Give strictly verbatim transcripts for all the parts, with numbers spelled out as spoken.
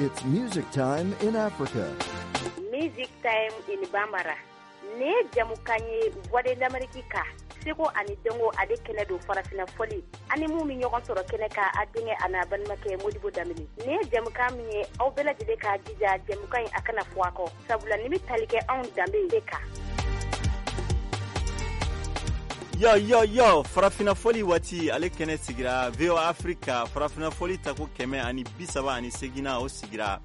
It's music time in Africa. Music time in Bambara. Ne jamukan ye Voix de l'Amérique kan. Seko ani dɔnko ale kɛnɛ don farafinna fɔli ani mun bɛ ɲɔgɔn sɔrɔ kɛnɛ kan a denkɛ a n'a balimakɛ Modibo Danbele. Nin ye jamukan min ye aw bɛɛ lajɛlen k'a jija jamukan in a kana fɔ a kɔ sabula nin bɛ tali kɛ anw danbe de kan. Yo yo yo farafinna fɔli waati ale kɛnɛ sigira V O A Africa farafinna fɔli tako kɛmɛ ani bi saba ani seginna o sigira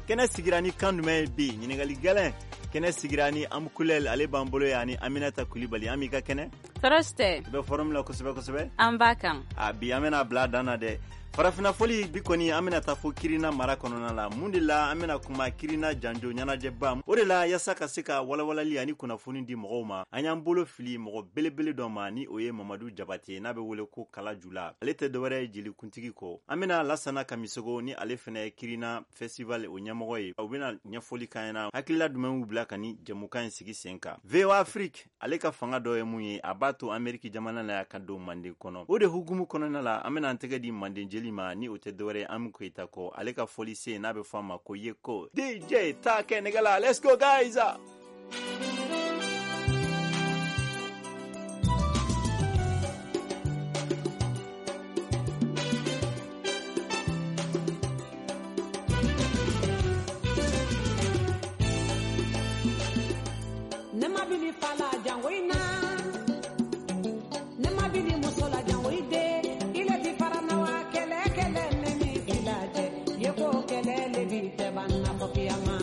kɛnɛ sigira ni kan jumɛn ye bi ɲininkali gɛlɛn kɛnɛ sigira ni Amukulɛl ale b'an bolo yan ani Aminata Kulibali. An b'i ka kɛnɛ tɔɔrɔ tɛ i bɛ forum la kosɛbɛ kosɛbɛ an b'a kan a bi an bɛna bila dan na dɛ. Farafinna fɔli bi kɔni an bɛna taa fo Kirina mara kɔnɔna la. Mun de la an bɛna kuma Kirina janjo ɲɛnajɛba o de la yaasa ka se ka walawalali ani kunnafoni di mɔgɔw ma an y'an bolo fili mɔgɔ belebele dɔ ma ni o ye Mamadu Jabate n'a bɛ wele ko Kala Jula. Ale tɛ dɔwɛrɛ ye jelikuntigi kɔ. An bɛna Lasana Kamisogo ni ale fɛnɛ ye Kirina festival o ɲɛmɔgɔ ye. U bɛna ɲɛfɔli k'an ɲɛna hakilila jumɛn y'u bila ka ni jɛmukan in sigi sen kan. V O A Afrique ale ka fanga dɔ ye mun ye a b'a to Ameriki jamana na ka don Manden kɔnɔ. O de hukumu kɔnɔna la an bɛna an tɛgɛ di Manden jeli ma ni o tɛ dɔwɛrɛ Ami Koyita kɔ. Ale ka fɔli sen n'a bɛ fɔ a ma ko Yeko D J ta kɛ nɛgɛ la. Let's go guys. Ne ma bili fala jango ina ne ma bili muso la jango ide ile ti farana wa kele kele ne mi filaje ye ko kele le bi te banna fo kiyama.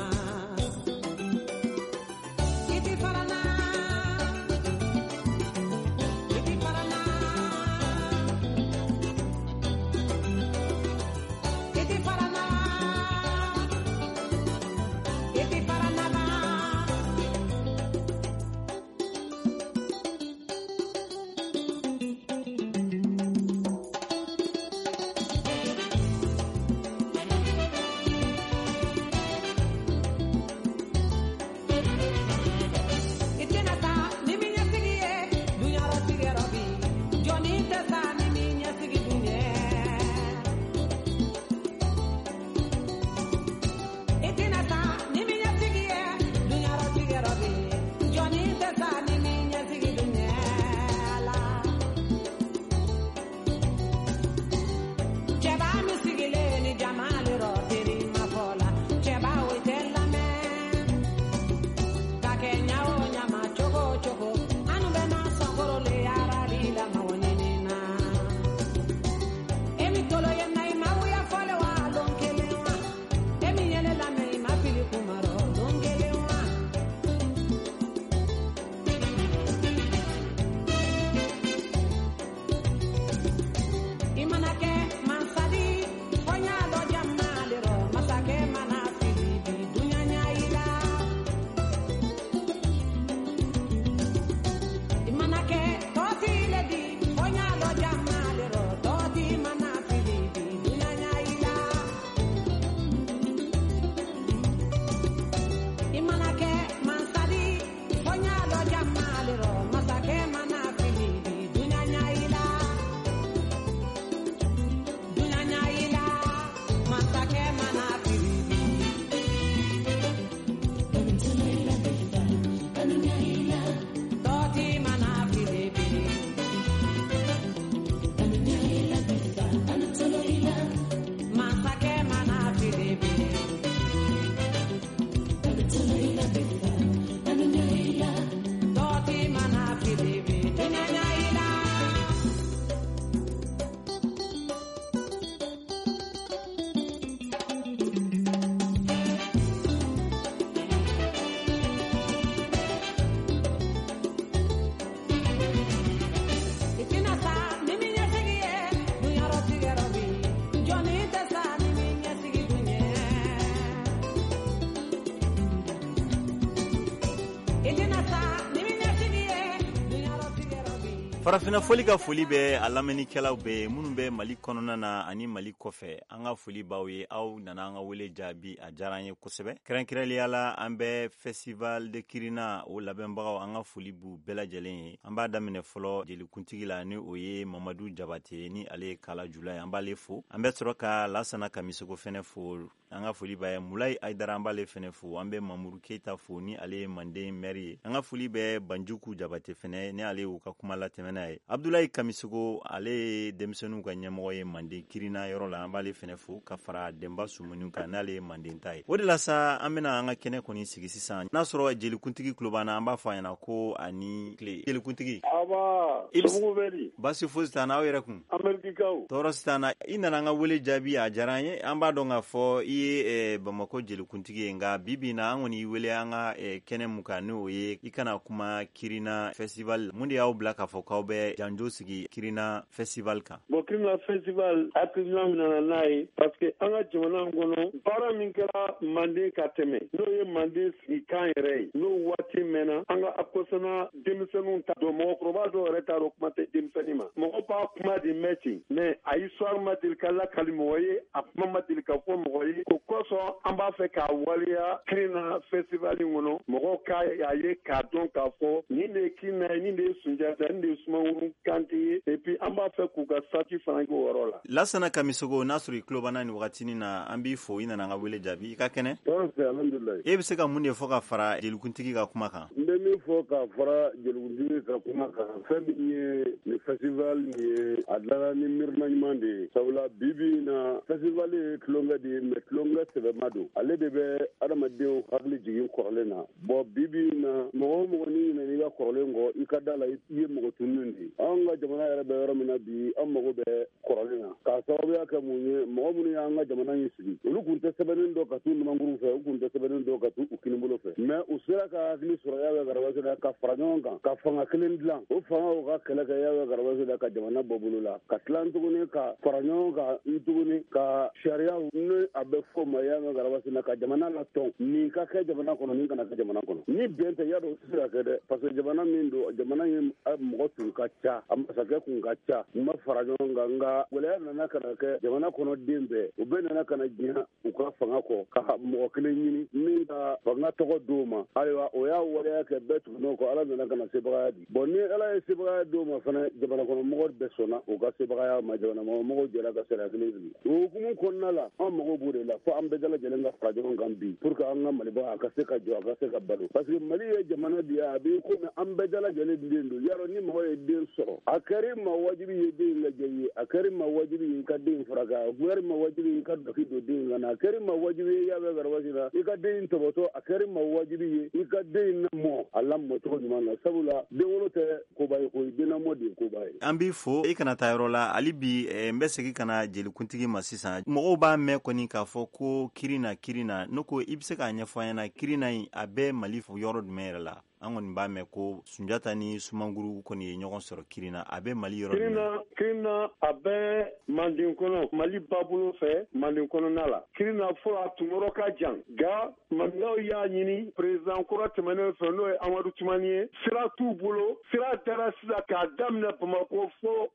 Farafinna foli ka foli bɛ a lamɛnnikɛlaw bɛɛ minnu bɛ Mali kɔnɔna na ani Mali kɔfɛ. An ka foli b'aw ye, aw nana an ka wele jaabi, a diyara an ye kosɛbɛ. Kɛrɛnkɛrɛnliya la, an bɛ Festival de Kirina o labɛnbagaw, an ka foli b'u bɛɛ lajɛlen ye. An b'a daminɛ fɔlɔ jelikuntigi la, ni o ye Mamadu Jabate, ni ale ye Kala Jula ye, an b'ale fo. An bɛ sɔrɔ ka Lasana Kamisogo fɛnɛ fo. An ka foli b'a ye. Mulayi Ayidara, an b'ale fɛnɛ fo. An bɛ Mamuru Keyita fo, ni ale ye Manden maire ye. An ka foli bɛ Banjuku Jabate fɛnɛ, ni ale y'u ka kuma latɛmɛna ye. Abdulayi Kamisogo, ale ye denmisɛnninw ka ɲɛmɔgɔ ye Manden Kirina yɔrɔ la, an b'ale fɛnɛ fo, ka fara Denba Sumuni kan, n'ale ye Manden ta ye. O de la sa, an bɛna an ka kɛnɛ kɔni sigi sisan. N'a sɔrɔ jelikuntigi tulo b'an na, an b'a fɔ a ɲɛna ko ani tile, jelikuntigi. Aba, somɔgɔw bɛ di? Baasi fosi t'an na, aw yɛrɛ kun? Amerikikaw. Tɔɔrɔ si t'an na. I nana an ka wele jaabi, a diyara an ye. An b'a dɔn k'a fɔ i ye Bamakɔ jelikuntigi ye, nka bi bi na an kɔni y'i wele an ka kɛnɛ mun kan, n'o ye i kana kuma Kirina Festival. Mun de y'aw bila k'a fɔ k'aw bɛ janjo sigi Kirina Festival kan? Bon, Kirina Festival hakilina min nana n'a ye, parce que an ka jamana kɔnɔ, baara min kɛra Manden ka tɛmɛ, n'o ye Manden sigikan yɛrɛ ye, n'o waati mɛnna, an ka akosana denmisɛnninw ta dɔn, mɔgɔkɔrɔba dɔw yɛrɛ t'a dɔn, kuma tɛ denmisɛnnin ma. Mɔgɔ b'a kuma de mɛn ten, mais a histoire ma deli ka lakali mɔgɔ ye, a kuma ma deli ka fɔ mɔgɔ ye. O kosɔn an b'a fɛ k'a waleya Kirina Festival in kɔnɔ, mɔgɔw k'a ye k'a dɔn k'a fɔ nin de ye Kirina ye, nin de ye Sunjata, nin de ye Sumaworo Kante ye. Et puis an b'a fɛ k'u ka statut fana k'o yɔrɔ la. Lasana Kamisogo, n'a sɔrɔ i tulo b'an na nin wagatinin na, an b'i fo, i nana an ka wele jaabi. I ka kɛnɛ? Tɔɔrɔ tɛ, alhamdulilayi. E bɛ se ka mun de fɔ ka fara jelikuntigi ka kuma kan? N bɛ min fɔ ka fara jelikuntigi ka kuma kan, fɛn min ye nin festival nin ye, a dilanna ni miirina ɲuman de ye. Sabula bi bi in na, festival ye tulonkɛ de ye, mais tulonkɛ sɛbɛma don. Ale de bɛ adamadenw hakili jigin kɔrɔlen na. Bon, bi bi in na, mɔgɔ o mɔgɔ n'i ɲinɛna i ka kɔrɔlen kɔ, i ka da la i ye mɔgɔ tununnen de ye. Anw ka jamana yɛrɛ bɛ yɔrɔ min na bi, an mago bɛ kɔrɔlen na. K'a sababuya kɛ mun ye? Mɔgɔ minnu y'an ka jamana in sigi, olu tun tɛ sɛbɛnnen dɔn ka t'u numankuru fɛ, u tun tɛ sɛbɛnnen dɔn ka t'u kinibolo fɛ, mais u sera ka hakili sɔrɔ Yawɛ Garabasela ka fara ɲɔgɔn kan ka fanga kelen dilan. O fanga o ka kɛlɛ kɛ Yawɛ Garabasela ka jamana bɔ bolo la, ka tila tuguni ka fara ɲɔgɔn kan tuguni ka sariyaw, ni a bɛ fɔ o ma Yawɛ Garabasela, ka jamana latɔn, nin ka kɛ jamana kɔnɔ, nin kana kɛ jamana kɔnɔ. Ni bɛn tɛ, y'a dɔn o tɛ se ka kɛ dɛ, parce que jamana min don, jamana in mɔgɔ tun ka ca, a masakɛ kun ka ca, u ma fara ɲɔgɔn kan. Nka gɛlɛya nana ka na kɛ jamana kɔnɔ den bɛɛ, u bɛɛ nana ka na diɲɛ u ka fanga kɔ, ka mɔgɔ kelen ɲini min ka fanga tɔgɔ d'o ma. Ayiwa, o y'a waleya kɛ, bɛɛ tugunn'o kɔ, Ala nana ka na sebagaya di. Bon, ni Ala ye sebagaya d'o ma fana, jamana kɔnɔ mɔgɔ bɛɛ sɔnna u ka sebagaya ma, jamana kɔnɔ mɔgɔw jɛra ka sariya kelen sigi. O hukumu kɔnɔna la, an mago b'o de la, fo an bɛɛ lajɛlen ka fara ɲɔgɔn kan bi, pour que an ka Maliba a ka se ka jɔ, a ka se ka balo. Parce que Mali ye jamana de ye, a b'i komi an bɛɛ lajɛlen den don. Yarɔ, ni mɔgɔ ye den sɔrɔ, a kɛra i ma wajibi ye den lajɛ ye, a kɛra i ma wajibi ye i ka den furakɛ, a kɛra i ma wajibi ye i ka dɔki don den kan na, a kɛra i ma wajibi ye Yawɛ Garabasela i ka den tɔbɔtɔ, a kɛra i ma wajibi ye i ka den lamɔ a lamɔcogo ɲuman na. Sabula denwolo tɛ koba ye koyi, denlamɔ de ye koba ye. An b'i fo, i kana taa yɔrɔ la hali bi. N bɛ segin ka na jelikuntigi ma sisan. Mɔgɔw b'a mɛn kɔni k'a fɔ ko Kirina, Kirina. Ne ko i bɛ se k'a ɲɛfɔ an ɲɛna, Kirina in a bɛ Mali yɔrɔ jumɛn yɛrɛ la? An kɔni b'a mɛn ko Sunjata ni Sumanguru kɔni ye ɲɔgɔn sɔrɔ Kirina, a bɛ Mali yɔrɔ jumɛn? Kirina, a bɛ Manden kɔnɔ, Mali babolo fɛ, Manden kɔnɔna la. Kirina fɔlɔ a tun yɔrɔ ka jan, nka Mandenkaw y'a ɲini président kɔrɔ tɛmɛnen fɛ, n'o ye Amadu Tumani ye, sira t'u bolo. Sira dara sisan k'a daminɛ Bamakɔ fo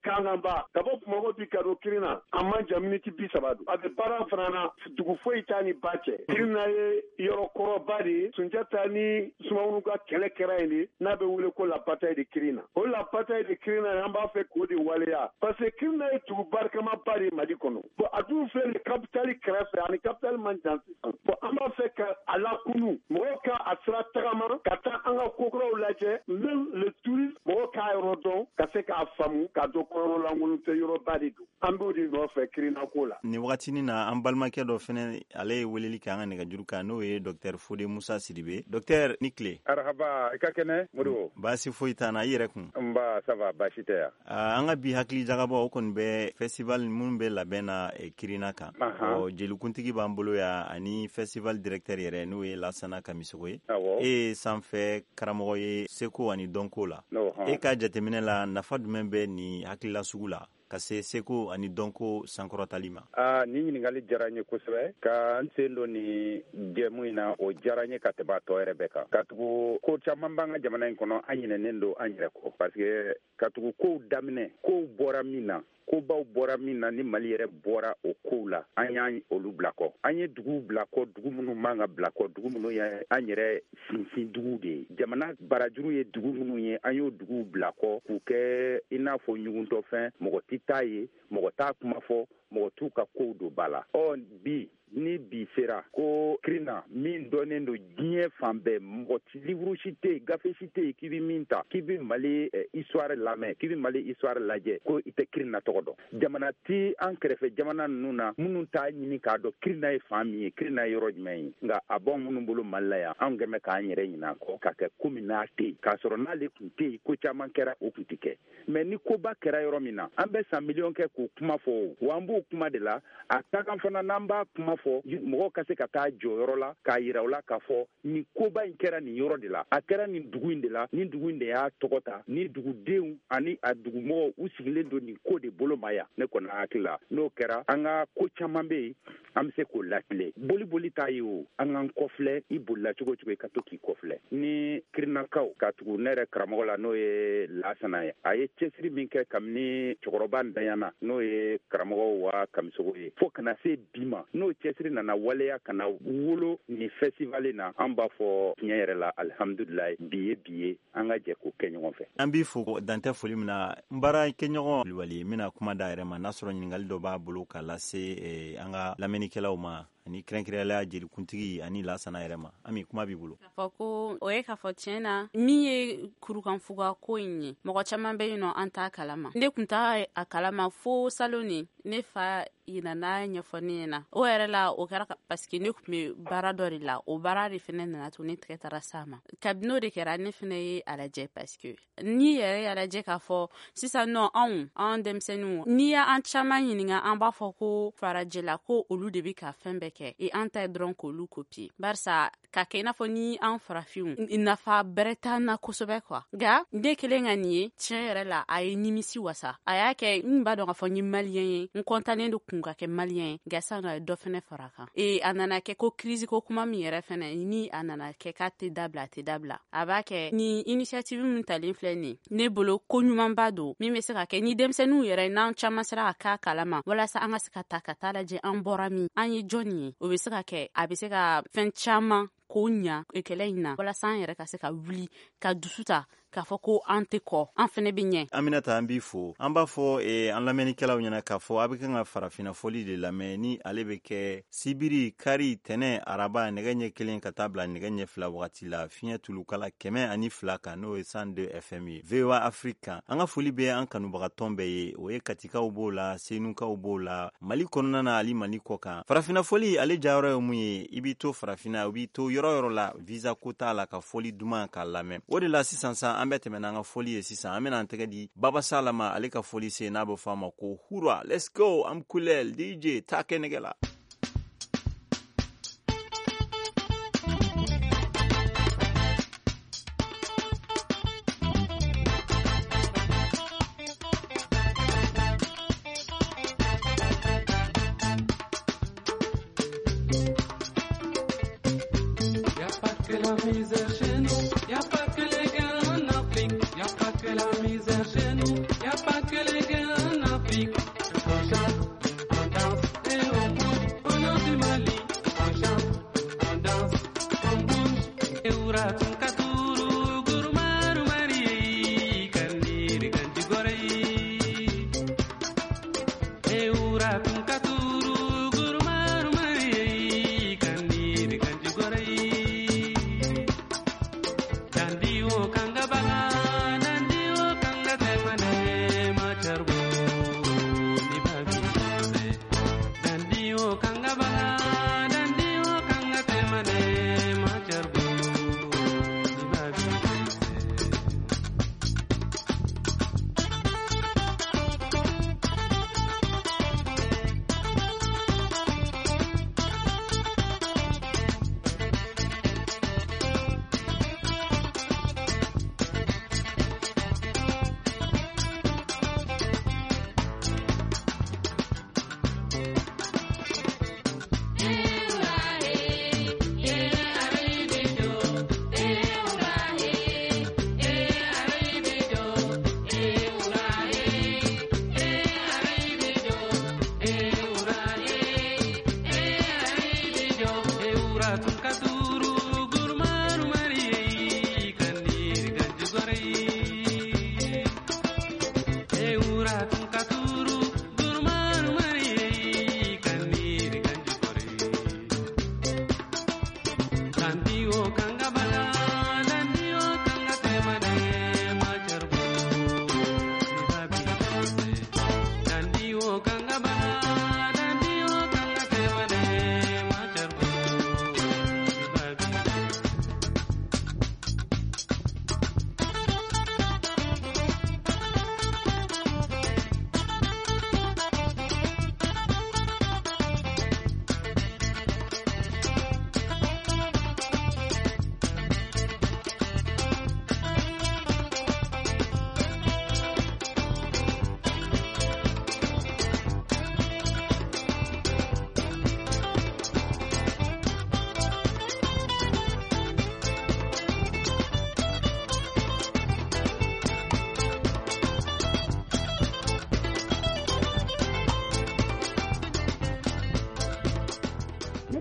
Kankanba, ka bɔ Bamakɔ bi ka don Kirina, a man jan, miniti bi saba don. A bɛ baara fana na, dugu foyi t'a ni ba cɛ. Kirina ye yɔrɔ kɔrɔba de ye. Sunjata ni Sumaworo ka kɛlɛ kɛra yen de, n'a bɛ wele ko la bataille de Kirina. O la bataille de Kirina, an b'a fɛ k'o de waleya, parce que Kirina ye dugu barikamaba de ye Mali kɔnɔ. Bon, a dun filɛ nin capitale kɛrɛfɛ, ani capitale man jan sisan. Bon, an b'a fɛ ka a lakunu, mɔgɔw ka a sira tagama ka taa an ka kokuraw lajɛ, même le tourisme, mɔgɔw k'a yɔrɔ dɔn, ka se k'a faamu, k'a dɔn ko yɔrɔ lankolon tɛ, yɔrɔba de don. An b'o de nɔfɛ Kirina ko la. Nin wagatinin na, an balimakɛ dɔ fɛnɛ, ale ye weleli kɛ an ka nɛgɛjuru kan, n'o ye docteur Fode Musa Sidibe. Docteur, ni tile. Arahaba, i ka kɛnɛ Modibo? Baasi foyi t'an na, i yɛrɛ kun? Nba, ça va, baasi tɛ yan. An ka bi hakili jagabɔ o kɔni bɛ festival minnu bɛ labɛn na Kirina kan. Ɔ, jelikuntigi b'an bolo yan, ani festival directeur yɛrɛ, n'o ye Lasana Kamisogo ye. E ye sanfɛ karamɔgɔ ye seko ani dɔnko la. E ka jateminɛ la, nafa jumɛn bɛ nin hakilila sugu la? ka se seko ani dɔnko sankɔrɔtali ma? Aa, nin ɲininkali diyara n ye kosɛbɛ. Ka n sen don nin jɛmu in na, o diyara n ye ka tɛmɛ a tɔ yɛrɛ bɛɛ kan, katugu ko caman b'an ka jamana in kɔnɔ, an ɲinɛnen don an yɛrɛ kɔ, parce que katugu kow daminɛ, kow bɔra min na, kobaw bɔra min na, ni Mali yɛrɛ bɔra o kow la, an y'an olu bila kɔ. An ye duguw bila kɔ, dugu minnu man ka bila kɔ, dugu minnu ye an yɛrɛ sinsin duguw de ye, jamana barajuru ye dugu minnu ye, an y'o duguw bila kɔ k'u kɛ i n'a fɔ ɲuguntɔfɛn. Mɔgɔ tɛ taa ye, mɔgɔ t'a kuma fɔ, mɔgɔ t'u ka kow don ba la. Ɔ bi ni bi sera ko Kirina min dɔnnen don diɲɛ fan bɛɛ, mɔgɔ livre si tɛ yen, gafe si tɛ yen k'i bɛ min ta k'i bɛ Mali histoire lamɛn, k'i bɛ Mali histoire lajɛ ko i tɛ Kirina tɔgɔ dɔn. Jamana ti an kɛrɛfɛ jamana ninnu na minnu t'a ɲini k'a dɔn Kirina ye fan min ye, Kirina ye yɔrɔ jumɛn ye. Nka a b'anw minnu bolo Mali la yan, anw kɛn bɛ k'an yɛrɛ ɲinɛ a kɔ ka kɛ komi n'a tɛ yen, k'a sɔrɔ n'ale tun tɛ yen, ko caman kɛra o tun tɛ kɛ. Mais ni koba kɛra yɔrɔ min na, an bɛ san miliyɔn kɛ k'o kuma fɔ, wa an b'o kuma de la. A ka kan fana n'an b'a kuma fɔ, mɔgɔw ka se ka taa jɔyɔrɔ la k'a yira u la k'a fɔ nin koba in kɛra nin yɔrɔ de la, a kɛra nin dugu in de la, nin dugu in de y'a tɔgɔ ta, ni dugudenw ani a dugumɔgɔw u sigilen don nin ko de bolo ma yan. Ne kɔni hakili la, n'o kɛra, an ka ko caman bɛ yen an bɛ se k'o latilen. Boli boli t'a ye o, an k'an kɔfilɛ. I bolila cogo cogo, i ka to k'i kɔfilɛ. Ni Kirinakaw ka tugu ne yɛrɛ karamɔgɔ la, n'o ye Lasana ye, a ye cɛsiri min kɛ kabini cɛkɔrɔba ntanyana, n'o ye karamɔgɔ wa Kamisogo ye, fo kana se bi ma, n'o cɛsiri nana waleya ka na wolo nin festival na, an b'a fɔ tiɲɛ yɛrɛ la, alihamudulilayi, bi ye bi ye, an ka jɛ k'o kɛ ɲɔgɔn fɛ. An b'i fo dantɛ foli min na. N baarakɛɲɔgɔn Kulubali n bɛna kuma da yɛrɛ ma, n'a sɔrɔ ɲininkali dɔ b'a bolo ka lase an ka lamɛnnikɛlaw ma, ani kɛrɛnkɛrɛnnenya jelikuntigi ani Lasana yɛrɛ ma. Ami, kuma b'i bolo. K'a fɔ ko o ye k'a fɔ tiɲɛ na, min ye kurukanfuga ko in ye, mɔgɔ caman bɛ yen nɔ an t'a kalama. Ne tun t'a a kalama fo salon ni ne fa nana ɲɛfɔ ne ɲɛna. O yɛrɛ la, o kɛra parce que ne tun bɛ baara dɔ de la, o baara de fɛnɛ nana to ne tɛgɛ taara s'a ma. Kabini o de kɛra, ne fɛnɛ ye a lajɛ, parce que n'i yɛrɛ y'a lajɛ k'a fɔ sisan nɔ, anw an denmisɛnninw, n'i y'an caman ɲininka, an b'a fɔ ko farajɛla ko olu de bɛ ka fɛn bɛɛ kɛ, e an ta ye dɔrɔn k'olu copier, barisa ka kɛ i n'a fɔ ni an farafinw nafa bɛrɛ t'an na kosɛbɛ quoi. Nka ne kelen ka nin ye, tiɲɛ yɛrɛ la, a ye nimisi wasa. A y'a kɛ n b'a dɔn k'a fɔ n ye maliyɛn ye, n kɔntannen don kun ka kɛ maliyɛn ye, nka sisan nɔ a ye dɔ fɛnɛ fara a kan. E a nana kɛ ko crise ko kuma min yɛrɛ fɛnɛ, ni a nana kɛ k'a tɛ dabila, a tɛ dabila. A b'a kɛ ni initiative min talen filɛ nin ye, ne bolo ko ɲumanba don min bɛ se ka kɛ ni denmisɛnninw yɛrɛ n'an caman sera ka k'a kalama, walasa an ka se ka ta ka taa lajɛ an bɔra min, an ye jɔnni ye. O bɛ se ka kɛ, a bɛ se ka fɛn caman k'o ɲa kɛlɛ in na, walasa an yɛrɛ ka se ka wuli ka dusu ta k'a fɔ ko an tɛ kɔ, an fɛnɛ bɛ ɲɛ. Aminata, an b'i fo. An b'a fɔ eh, an lamɛnnikɛlaw ɲɛna k'a fɔ a bɛ kan ka farafinna fɔli de lamɛn, ni ale bɛ kɛ sibiri, kari, tɛnɛ, araba, nɛgɛ ɲɛ kelen ka taa bila nɛgɛ ɲɛ fila wagati la, fiɲɛ tulukala kɛmɛ ani fila kan, n'o ye cent deux F M ye, V O A Afrique kan. An ka foli bɛ an kanubagatɔn bɛɛ ye, o ye Katikaw b'o la, Senukaw b'o la, Mali kɔnɔna na ani Mali kɔ kan. Farafinna fɔli ale jayɔrɔ ye mun ye? I b'i to farafinna, i b'i to yɔrɔ yɔrɔ la, visa ko t'a la, ka fɔli duman k'a lamɛn. O de la sisan san an bɛ tɛmɛ n'an ka fɔli ye. Sisan an bɛna an tɛgɛ di Baba Sala ma, ale ka fɔli se, n'a bɛ fɔ a ma ko Hura. Let's go, am kulel D J ta kɛ nɛgɛ la.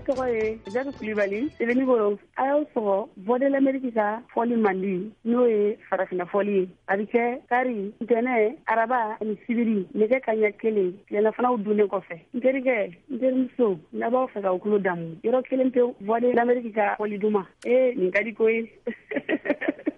tɔgɔ ye Jadu Kulibali, Sebenikoro. A y'aw sɔgɔ Voix de l'Amérique ka fɔli mandi, n'o ye farafinna fɔli ye. A bɛ kɛ kari, ntɛnɛn, araba ani sibiri nɛgɛ kaɲɛ kelen tilelafanaw dunnen kɔfɛ. N terikɛ, n terimuso, n'a b'aw fɛ k'aw tulo damu, yɔrɔ kelen pewu, Voix de l'Amérique ka fɔli duman. Ee, nin ka di koyi.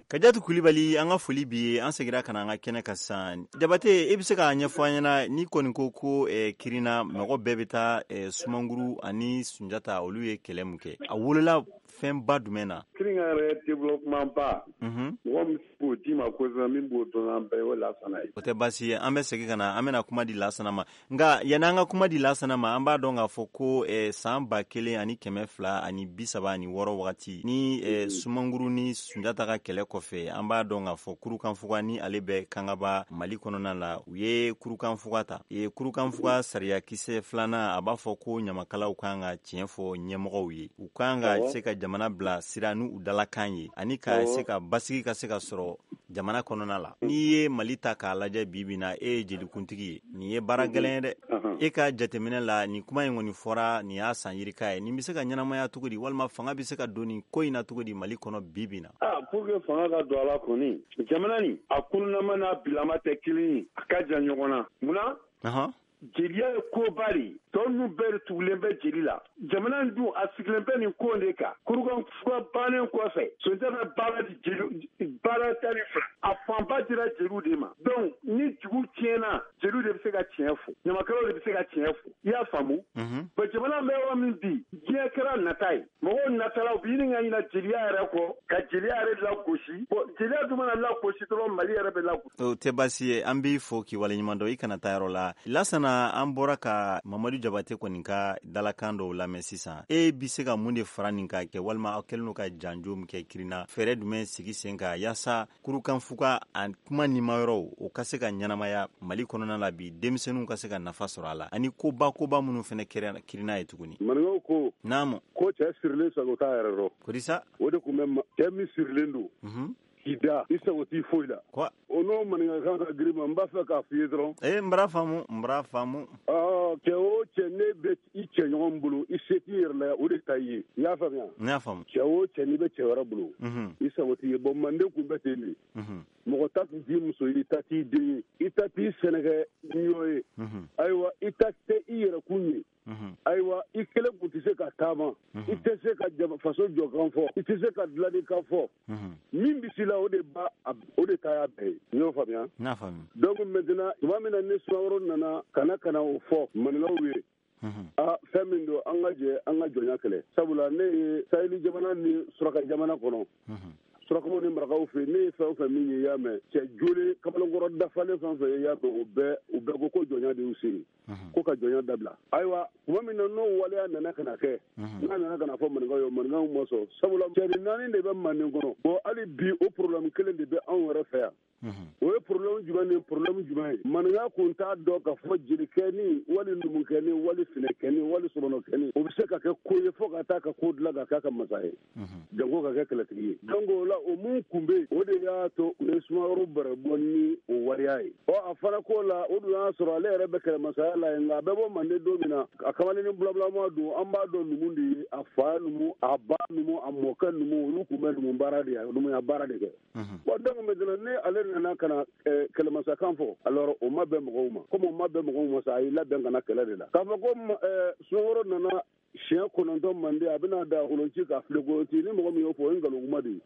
Kajatu Kulibali, an ka foli bi ye. An seginna ka na an ka kɛnɛ kan sisan. Jabate, e bɛ se k'a ɲɛfɔ an ɲɛna, n'i kɔni ko ko eh, Kirina mɔgɔ bɛɛ bɛ taa eh, Sumanguru ani Sunjata, olu ye kɛlɛ mun kɛ, a wolola fɛnba jumɛn na? Kirina yɛrɛ développement ba, mɔgɔ min b'o d'i ma kosɛbɛ, min b'o dɔn an bɛɛ ye, o Lasana ye. O tɛ baasi ye, an bɛ segin ka na, an bɛna kuma di Lasana ma. Nka yanni an ka kuma di Lasana ma, an b'a dɔn k'a fɔ ko eh, san ba kelen ani kɛmɛ fila ani bi saba ani wɔɔrɔ wagati ni eh, Sumanguru ni Sunjata ka kɛlɛ kɔfɛ, an b'a dɔn k'a fɔ Kurukanfuga ni ale bɛ Kangaba Mali kɔnɔna la, u ye Kurukanfuga ta. E Kurukanfuga sariyakisɛ filanan, a b'a fɔ ko ɲamakalaw kan ka tiɲɛ fɔ ɲɛmɔgɔw ye, u kan ka se ka jamana bila sira n'u dalakan ye, ani ka se ka basigi ka se ka sɔrɔ jamana kɔnɔna la. N'i ye Mali ta k'a lajɛ bi bi na, e ye jelikuntigi ye, nin ye baara gɛlɛn ye dɛ. E ka jateminɛ la, nin kuma in kɔni fɔra, nin y'a san yirika ye, nin bɛ se ka ɲɛnamaya cogo di, walima fanga bɛ se ka don nin ko in na cogo di Mali kɔnɔ bi bi na? Ah, pour que fanga ka don a la kɔni, jamana nin a kunnama n'a bilama tɛ kelen ye, a ka jan ɲɔgɔn na. Munna? Jeliya ye koba de ye, tɔ ninnu bɛɛ de tugulen bɛ jeli la. Jamana in dun a sigilen bɛ nin ko de kan. Kurukanfuga bannen kɔfɛ, Sunjata bɛ baara di jeli, baara tan ni fila, a fanba dira jeliw de ma. Donc ni dugu tiɲɛna, jeliw de bɛ se ka tiɲɛ fɔ, ɲamakalaw de bɛ se ka tiɲɛ fɔ. I y'a faamu? Bon, jamana bɛ yɔrɔ min bi, diɲɛ kɛra nata ye, mɔgɔw natala, u bɛ ɲini ka ɲina jeliya yɛrɛ kɔ, ka jeliya yɛrɛ lagosi. Bon, jeliya dun mana lagosi dɔrɔn, Mali yɛrɛ bɛ lagosi. O tɛ baasi ye, an b'i fo k'i waleɲuman dɔn, i kana taa yɔrɔ la. Lasana, an bɔra ka Mamadu Jabate kɔni ka dalakan dɔw lamɛn sisan. E bɛ se ka mun de fara nin kan kɛ, walima aw kɛlen don ka janjo min kɛ Kirina, fɛɛrɛ jumɛn sigi sen kan yaasa Kurukanfuga a kuma nimayɔrɔw o ka se ka ɲɛnamaya Mali kɔnɔna la bi, denmisɛnninw ka se ka nafa sɔrɔ a la, ani koba koba minnu fana kɛra Kirina ye tuguni? Maninkaw ko naamu, ko cɛ sirilen sago t'a yɛrɛ rɔ. Kodisa o de tun bɛ cɛ min sirilen don k'i da, i sago t'i foyi la. O n'o maninkakan ka girin ma, n b'a fɛ k'a f'i ye dɔrɔn. Ee, n b'a faamu, n b'a faamu. Cɛ o cɛ, ne bɛ i cɛɲɔgɔn bolo, i se t'i yɛrɛ la, o de ta i ye. I y'a faamuya? N y'a faamu. Cɛ o cɛ, n'i bɛ cɛ wɛrɛ bolo, i sago t'i ye. Bon, manden kun bɛ ten de. Mɔgɔ ta tun t'i muso ye, i ta t'i den ye, i ta t'i sɛnɛkɛ ɲɔ ye. Ayiwa, i ta tɛ i yɛrɛkun ye. Ayiwa, i kelen kun tɛ se ka taama, i tɛ se ka faso jɔkan fɔ, i tɛ se ka dilannikan fɔ. Min bɛ la, o de ba, o de ta y'a bɛɛ ye. I y'o faamuya? N'a faamu. Donc maintenant, tuma min na ni Sumaworo nana ka na ka na o fɔ maninkaw ye, aa, fɛn min don, an ka jɛ an ka jɔnya kɛlɛ. Sabula ne ye saheli jamana ni suraka jamana kɔnɔ, surakaw ni marakaw fɛ, ne ye fɛn o fɛn min ye, i y'a mɛn, cɛ joli kamalenkɔrɔ dafalen fɛn fɛn ye, i y'a mɛn, o bɛɛ u bɛɛ ko ko jɔnya de y'u se, ko ka jɔnya dabila. Ayiwa, tuma min na n'o waleya nana ka na kɛ, n'a nana ka na fɔ maninkaw ye, maninkaw ma sɔn. Sabula cɛnin naani de bɛ manden kɔnɔ. Bon, hali bi o problème kelen de bɛ anw yɛrɛ fɛ yan. O ye problème jumɛn ni problème jumɛn ye? Maninka kun t'a dɔn k'a fɔ jelikɛni wali numukɛni wali finɛkɛni wali sɔmɔnɔkɛni, o bɛ se ka kɛ ko ye fo ka taa ka ko dilan ka k'a ka masa ye, janko ka kɛ kɛlɛtigi ye. Donc o la, o mun kun bɛ yen, o de y'a to u ye Sumaworo bɛrɛ bɔ ni o waleya ye. Ɔ, a fana ko la, o dun y'a sɔrɔ ale yɛrɛ bɛ kɛlɛmasaya la yen, nka a bɛ bɔ manden don min na, a kamalennin bulabulama don, an b'a dɔn numu de ye, a fa numu, a ba numu, a mɔkɛ numu, olu kun bɛ numu baara de numuya baara de kɛ. Bon, donc maintenant ni ale nana ka na kɛlɛmasakan fɔ, alors o ma bɛn mɔgɔw ma. Komi o ma bɛn mɔgɔw ma sa, a y'i labɛn ka na kɛlɛ de la. K'a fɔ ko Sumaworo nana siɲɛ kɔnɔntɔn manden, a bɛna da kolonci ka file kolonci, ni mɔgɔ min y'o fɔ, o ye nkalon kuma de ye.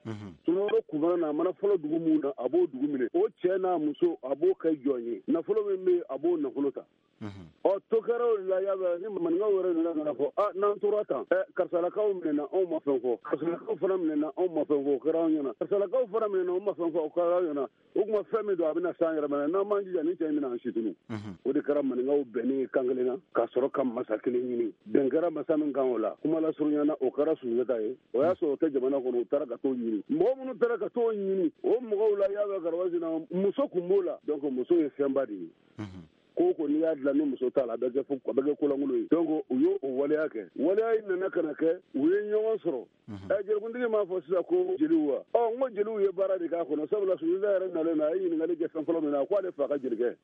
Sumaworo kun na, a mana fɔlɔ dugu mun na, a b'o dugu minɛ, o cɛ n'a muso a b'o kɛ jɔn ye, nafolo min bɛ yen, a b'o nafolo ta. Ɔ, to kɛra o de la, y'a ni maninkaw yɛrɛ nana ka na fɔ, a n'an tora tan, ɛ karisalakaw minɛna, anw ma fɛn fɔ, karisalakaw fana minɛna, anw ma fɛn fɔ, o kɛra anw ɲɛna, karisalakaw fana minɛna, anw ma fɛn fɔ, o kɛra anw ɲɛna. O tuma fɛn min don, a bɛna san yɛrɛ ma, n'an m'an jija, ni cɛ in bɛna an situnu. O de kɛra maninkaw bɛnnen kan kelen na, ka sɔrɔ ka masa kelen ɲini. Bɛn kɛra masa min kan o la, kuma lasurunya na, o kɛra Sunjata ye. O y'a sɔrɔ o tɛ jamana kɔnɔ, u taara ka t'o ɲini. Mɔgɔ minnu taara ka t'o ɲini, o mɔgɔw la, y'a mɛn Garabasina, muso kun b'o la. Donc muso ye fɛnba de ye. Ko ko n'i y'a dilan ni muso t'a la, a bɛ kɛ a bɛ kɛ kolankolon ye. Donc u y'o waleya kɛ. Waleya in nana ka na kɛ, u ye ɲɔgɔn sɔrɔ. Ɛ jelikuntigi m'a fɔ sisan ko jeliw wa? Ɔ, n ko jeliw ye baara de k'a kɔnɔ. Sabula Sunjata yɛrɛ nalen na, a ye ɲininkali kɛ fɛn fɔlɔ min na, a ko ale fa ka jelikɛ,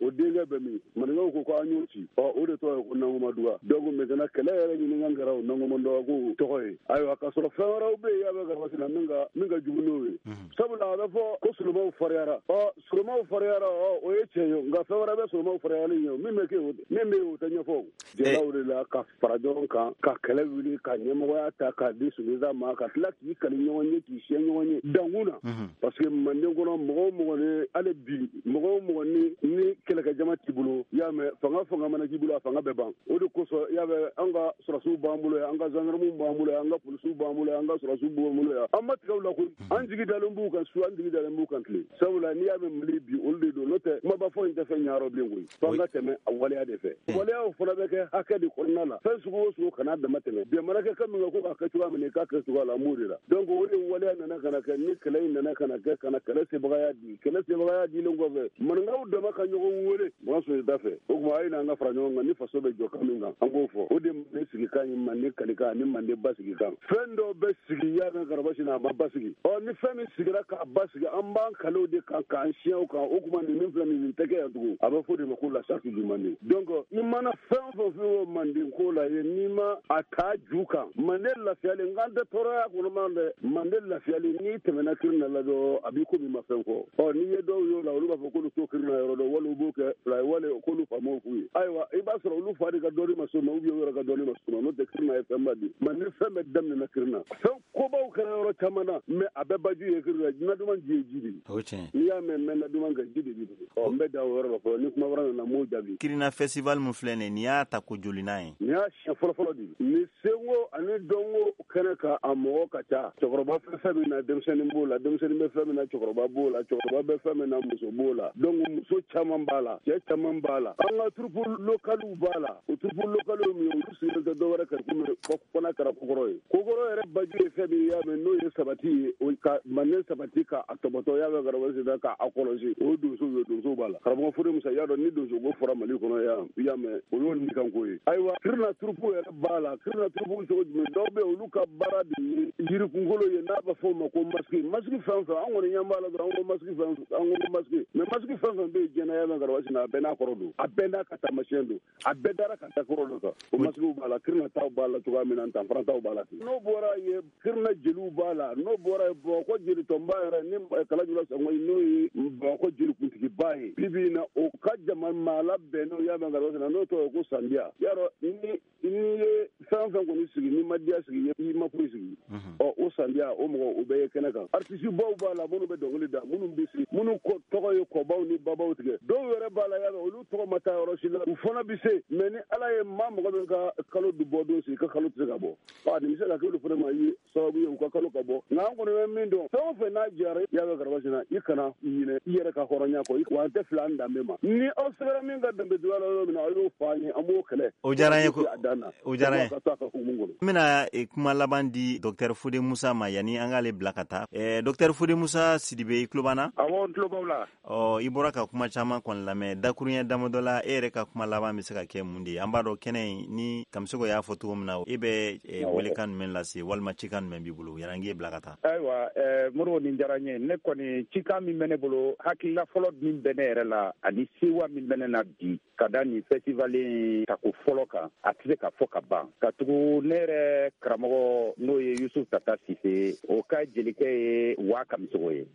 o denkɛ bɛ min? Maninkaw ko ko an y'o ci. Ɔ, o de tɔgɔ ye ko Nankumadu. Wagaduga. Donc maintenant kɛlɛ yɛrɛ ɲininkan kɛra o Nangomondɔwa ko tɔgɔ ye. Ayiwa k'a sɔrɔ fɛn wɛrɛw bɛ yen, y'a bɛ Garabasina min ka min ka jugu n'o ye. Sabula a bɛ fɔ ko solomaw fariyara. Ɔ solomaw fariyara, ɔ o ye tiɲɛ ye, nka fɛn wɛrɛ bɛ solomaw fariyali ɲɛ, min bɛ kɛ min bɛ yen o tɛ ɲɛfɔ. Jɛlaw de la ka fara ɲɔgɔn kan, ka kɛlɛ wuli, ka ɲɛmɔgɔya ta k'a di Sunjata ma, ka tila k'i kali ɲɔgɔn ye, k'i siɲɛ ɲɔgɔn ye dankun na. Parce que manden kɔnɔ mɔgɔ o mɔgɔ ni hali bi mɔgɔ o mɔgɔ ni ni kɛlɛkɛjama t'i bolo, y'a mɛn fanga fanga mana k'i bolo, a fanga bɛ ban. O de kosɔn y'a mɛn an ka sɔrɔsiw b'an bolo yan, an ka gendarmew b'an bolo yan, an ka polisiw b'an bolo yan, an ka sɔrɔsiw b'an bolo yan. An ma tigɛ u la koyi, an jigi dalen b'u kan su, an jigi dalen b'u kan tile. Sabula n'i y'a mɛn Mali bi olu de don, n'o tɛ kumaba fɔ in tɛ fɛn ɲɛyɔrɔ bilen koyi. F'an ka tɛmɛ a waleya de fɛ. Waleyaw fana bɛ kɛ hakɛ de kɔnɔna la. Fɛn sugu o sugu kana dama tɛmɛ. Jamana kɛ kan min kan ko k'a kɛ cogoya min na, i k'a kɛ cogoya la, an b'o de la. Donc o de waleya nana ka na kɛ ni kɛlɛ in nana ka na kɛ ka na kɛlɛ sebagaya di. Kɛlɛ sebagaya dilen kɔfɛ, maninkaw dama ka ɲɔgɔn wele Makan Sunjata fɛ. O tuma a ye n'an ka fara ɲɔgɔn kan ni faso bɛ jɔ kan min kan, an k'o fɔ. O de manden sigikan ye manden kalikan ani manden basigikan. Fɛn dɔw bɛ sigi y'a mɛn Garabasina a ma basigi. Ɔ ni fɛn min sigira k'a basigi, an b'an kalew de kan k'an siɲɛw kan. O tuma nin min filɛ nin nin tɛ kɛ yan tugun. A bɛ fɔ de ma ko la charte du Manden. Donc i mana fɛn o fɛn fɔ manden ko la ye, n'i ma a ta ju kan, manden lafiyalen, n k'an tɛ tɔɔrɔya kɔnɔ man dɛ, manden lafiyalen n'i tɛmɛna Kirina la dɔrɔn a b'i komi i ma fɛn fɔ. Ɔ n'i ye dɔw y'o la, olu b'a fɔ k'olu t'o Kirina yɔrɔ dɔn, wali u b'o kɛ fila ye, wali k'olu faamaw f'u ye. Ayiwa i b'a sɔrɔ olu fa de ka dɔnni ma s'o ma, ou bien u yɛrɛ ka dɔnni ma s'o ma, n'o tɛ Kirina ye fɛnba di. Manden fɛn bɛɛ daminɛna Kirina. Fɛn kobaw kɛra yɔrɔ caman na, mais a bɛɛ baju ye Kirina. Naduman ji ye ji de ye. O tiɲɛ. N'i y'a mɛn n bɛ naduman kɛ, ji de b'i bolo. Ɔ n bɛ dan o yɔrɔ la fɔlɔ, ni kuma wɛrɛ nana n b'o jaabi. Kirina festival min filɛ nin ye, nin y'a ta ko jolina ye. Nin y'a siɲɛ fɔlɔ-fɔlɔ de ye. Nin senko ani dɔnko kɛnɛ kan, a mɔgɔ ka ca. Cɛkɔrɔba fɛn fɛn min na, denmisɛnnin b'o la, denmisɛnnin bɛ fɛn min na, cɛkɔrɔba b'o la, cɛkɔrɔba bɛ fɛn min na, muso b'o la. Donc muso caman b'a la, cɛ caman b'a la. An ka troupe localiw b'a la. O troupe localiw min ye, olu sigilen tɛ dɔwɛrɛ kan komi fana kɛra kokɔrɔ ye. Kokɔrɔ yɛrɛ baju ye fɛn min ye, y'a mɛn n'o ye sabati ye, o ka manden sabati k'a tɔbɔtɔ, y'a mɛn Garabasina k'a kɔlɔsi, o ye donsow ye, donsow b'a la. Karamɔgɔ Fode Musa, y'a dɔn ni donso ko fɔra Mali kɔnɔ yan, y'a mɛn o y'o nikanko ye. Ayiwa Kirina troupe yɛrɛ b'a la. Kirina troupe cogo jumɛn? Dɔw bɛ yen, olu ka baara de ye yirikunkolo ye, n'a bɛ fɔ o ma ko masque. Masque fɛn fɛn, an kɔni ɲɛ b'a la dɔrɔn, an ko masque fɛn fɛn, an ko masque. Mais masque fɛn fɛn bɛ yen diɲɛ na, y'a mɛn Garabasina a bɛɛ n'a kɔrɔ don, a bɛɛ n'a ka taamasiyɛn don, a bɛɛ dara ka da kɔrɔ dɔ kan. O masquew b'a la, Kirina taw b'a la cogoya min na, Ntanfara taw b'a la ten. N'o bɔra yen, Kirina jeliw b'a la. N'o bɔra yen, Bamakɔ jelitɔnba yɛrɛ ni Kalajula Sango n'o ye Bamakɔ jelikuntigiba ye bi bi in na, o ka jama maa labɛnnenw y'a mɛn Garabasina n'o tɔgɔ ye ko Sandiya. Y'a dɔn ni n'i ye fɛn fɛn kɔni sigi, n'i ma diya sigi, i ma foyi sigi. Ɔ o Sandiya, o mɔgɔ o bɛɛ ye kɛnɛ kan. Artiste baw b'a la, minnu bɛ dɔnkili da, minnu bɛ se, minnu tɔgɔ ye kɔbaw ni babaw tigɛ. Dɔw yɛrɛ b'a la, y'a mɛn olu tɔgɔ ma taa yɔrɔ si la, u fana bɛ se. Mais ni Ala ye maa mɔgɔ min ka kalo bɔ don sigi, i ka kalo tɛ se ka bɔ. Ɔ nin bɛ se ka kɛ olu fana ma ye sababu ye u ka kalo ka bɔ. Nka an kɔni bɛ min dɔn, fɛn o fɛn n'a jara, y'a mɛn Garabasina, i kana ɲinɛ i yɛrɛ ka hɔrɔnya kɔ, wa an tɛ fili an danbe ma. Ni aw sɛbɛnna min ka danbe juguya la yɔrɔ min na, aw y'o fɔ an ye, an b'o kɛlɛ. O diyara an ye ko a dan na. O diyara an ye. Ka to a ka hukumu kɔnɔ. N bɛna kuma laban di Docteur Fode Musa ma yanni an k'ale bila ka taa. Eh, Docteur Fode Musa Sidibe, i tulo b'an na? Awɔ, n tulo b'aw la. Ɔ i bɔra ka kuma caman kɔni lamɛn, dakuruɲɛ damadɔ la, e yɛrɛ ka kuma laban bɛ se ka kɛ mun de ye? An b'a dɔn kɛnɛ in ni Kamisoko y'a fɔ cogo min na, e bɛ welekan jumɛn lase walima cikan jumɛn b'i bolo yanni an k'e bila ka taa? Ayiwa eh, Modibo, nin diyara n ye. Ne kɔni cikan min bɛ ne bolo, hakilila fɔlɔ min bɛ ne yɛrɛ la ani sewa min bɛ ne na bi ka da nin festival in tako fɔlɔ kan, a tɛ se ka fɔ ka ban. Ka tugu ne yɛrɛ karamɔgɔ n'o ye Yusuf Tata Sise, o ka jelikɛ ye Wa Kamisoko ye.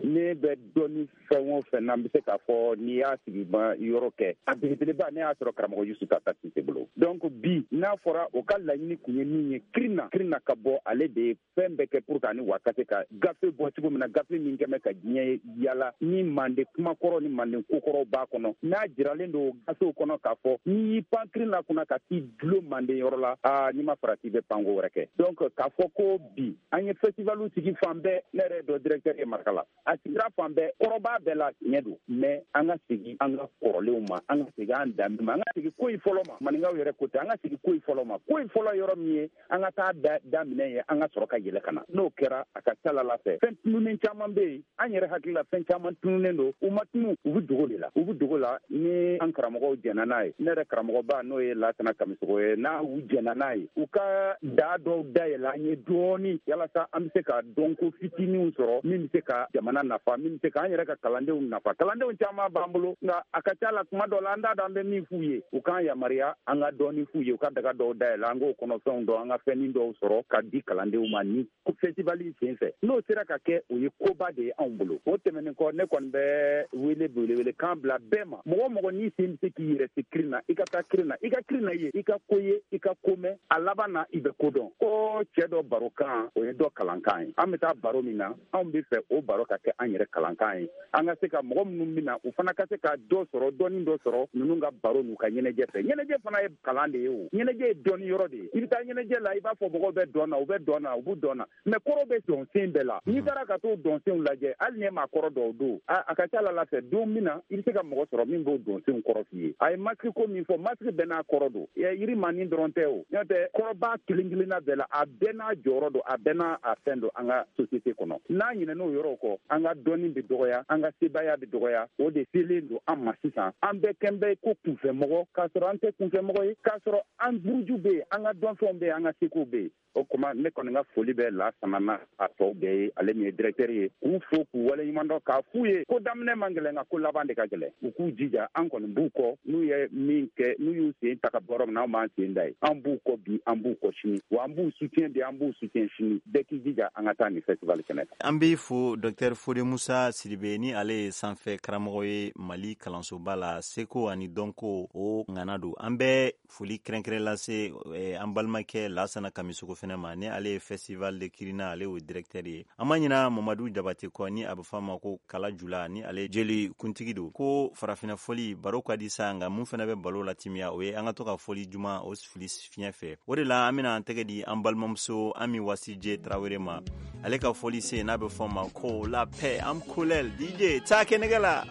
Ne bɛ dɔnni fɛn o fɛn na, n bɛ se k'a fɔ n'i y'a sigi ma yɔrɔ kɛ, a belebeleba ne y'a sɔrɔ karamɔgɔ Yusuf Tata Sise bolo. Donc bi n'a fɔra o ka laɲini kun ye min ye, Kirina Kirina ka bɔ, ale de ye fɛn bɛɛ kɛ pour que ani Wa ka se ka gafe bɔ cogo min na, gafe min kɛmɛ ka diɲɛ yala ni manden kumakɔrɔ ni manden kokɔrɔw b'a kɔnɔ. N'a jiralen don gafew kɔnɔ k'a fɔ n'i y'i pan Kirina kunna ka t'i dulon manden yɔrɔ la, aa n'i ma farati i bɛ panko wɛrɛ kɛ. Donc k'a fɔ ko bi an ye festivalu sigi fan bɛɛ, ne yɛrɛ dɔ directeur ye Marikala, a sigira fan bɛɛ, kɔrɔba bɛɛ la tiɲɛ don, mais an ka segin an ka kɔrɔlenw ma, an ka segin an danbe ma, an ka segin ko in fɔlɔ ma. Maninkaw yɛrɛ ko tɛ, an ka segin ko in fɔlɔ ma. Ko in fɔlɔ yɔrɔ min ye, an ka taa da daminɛ ye, an ka sɔrɔ ka yɛlɛ ka na. N'o kɛra, a ka ca la fɛ, fɛn tununnen caman bɛ yen, an yɛrɛ hakili la fɛn caman tununnen don, u ma tunu, u bɛ dogo de la, u bɛ dogo la. Ni an karamɔgɔw jɛnna n'a ye, ne yɛrɛ karamɔgɔba n'o ye Lasana Kamisoko ye, n'a u jɛnna n'a ye, u ka daa dɔw dayɛlɛ an ye dɔɔni, yalasa an bɛ se ka dɔnko fitininw sɔrɔ min bɛ se ka jamana jamana nafa, min bɛ se k'an yɛrɛ ka kalandenw nafa. Kalandenw caman b'an bolo, nka a ka ca la kuma dɔ la an t'a dɔn an bɛ min f'u ye. U k'an yamaruya an ka dɔɔni f'u ye, u ka daga dɔw dayɛlɛ, an k'o kɔnɔfɛnw dɔn, an ka fɛnnin dɔw sɔrɔ ka di kalandenw ma ni festival in sen fɛ. N'o sera ka kɛ, o ye koba de ye anw bolo. O tɛmɛnen kɔ, ne kɔni bɛ wele belebele kan bila bɛɛ ma. Mɔgɔ mɔgɔ n'i sen bɛ se k'i yɛrɛ se kirin na, i ka taa kirin na, i ka kirin na ye, i ka ko ye, i ka ko mɛn, a laban na i bɛ ko dɔn. Ko cɛ dɔ barokan, o ye dɔ kalankan ye. An bɛ taa baro min na, anw bɛ fɛ o baro ka kɛ an yɛrɛ kalankan ye. An ka se ka mɔgɔ minnu bɛ na, u fana ka se ka dɔ sɔrɔ, dɔɔni dɔ sɔrɔ ninnu ka baro n'u ka ɲɛnajɛ fɛ. Ɲɛnajɛ fana ye kalan de ye o. Ɲɛnajɛ ye dɔnni yɔrɔ de ye. I bɛ taa ɲɛnajɛ la, i b'a fɔ mɔgɔw bɛ dɔn na, u bɛ dɔn na, u b'u dɔn na. Mais kɔrɔ bɛ dɔnsen bɛɛ la. N'i taara ka t'o dɔnsenw lajɛ, hali ni e m'a kɔrɔ dɔw don, a ka ca la fɛ don min na, i bɛ se ka mɔgɔ sɔrɔ min b'o dɔnsenw kɔrɔ f'i ye. A ye masque ko min fɔ, masque bɛɛ n'a kɔrɔ don. Yiri manin dɔrɔn tɛ o. N'o tɛ kɔrɔba kelen kelenna bɛɛ la, a bɛɛ n'a jɔyɔrɔ don, a bɛɛ n'a a fɛn don an ka société kɔnɔ. N'an ɲinɛn'o yɔrɔw kɔ, an ka dɔnni bɛ dɔgɔya, an ka sebaaya bɛ dɔgɔya. O de selen don an ma sisan. An bɛɛ kɛn bɛ ko kunfɛmɔgɔ, k'a sɔrɔ an tɛ kunfɛmɔgɔ ye, k'a sɔrɔ an buruju bɛ yen, an ka dɔnfɛnw bɛ yen, an ka sekow bɛ yen. O kuma ne kɔni ka foli bɛ Lasana n'a a tɔw bɛɛ ye, ale min ye directeur ye, k'u fo k'u waleɲuman dɔn, k'a f'u ye ko daminɛ man gɛlɛn, nka ko laban de ka gɛlɛn. U k'u jija, an kɔni b'u kɔ. N'u ye min kɛ, n'u y'u sen ta ka bɔ yɔrɔ min na, anw b'an sen da ye. An b'u kɔ bi, an b'u kɔ sini, wa an b'u soutien bi, an b'u soutien sini. Bɛɛ k'i jija an ka taa nin festival kɛnɛ kan. An b'i fo docteur Fode Musa Sidibe, ni ale ye sanfɛ karamɔgɔ ye Mali kalansoba la, seko ani dɔnko o ŋana don. An bɛ foli kɛrɛnkɛrɛn lase an balimakɛ Lasana Kamisoko fɛnɛ ma, ni ale ye festival de Kirina, ale y'o directeur ye. An ma ɲina Mamadu Jabate kɔ, ni a bɛ fɔ a ma ko Kala Jula, ni ale jeli kuntigi don. Ko farafinna fɔli baro ka di sa, nka mun fɛnɛ bɛ balo latimiya, o ye an ka to ka fɔli juma o fili fiɲɛ fɛ. O de la an bɛna an tɛgɛ di an balimamuso Ami Wasije Tarawele ma, ale ka fɔli se n'a bɛ fɔ a ma ko la paix am kolel. D J taa kɛnɛgɛ la.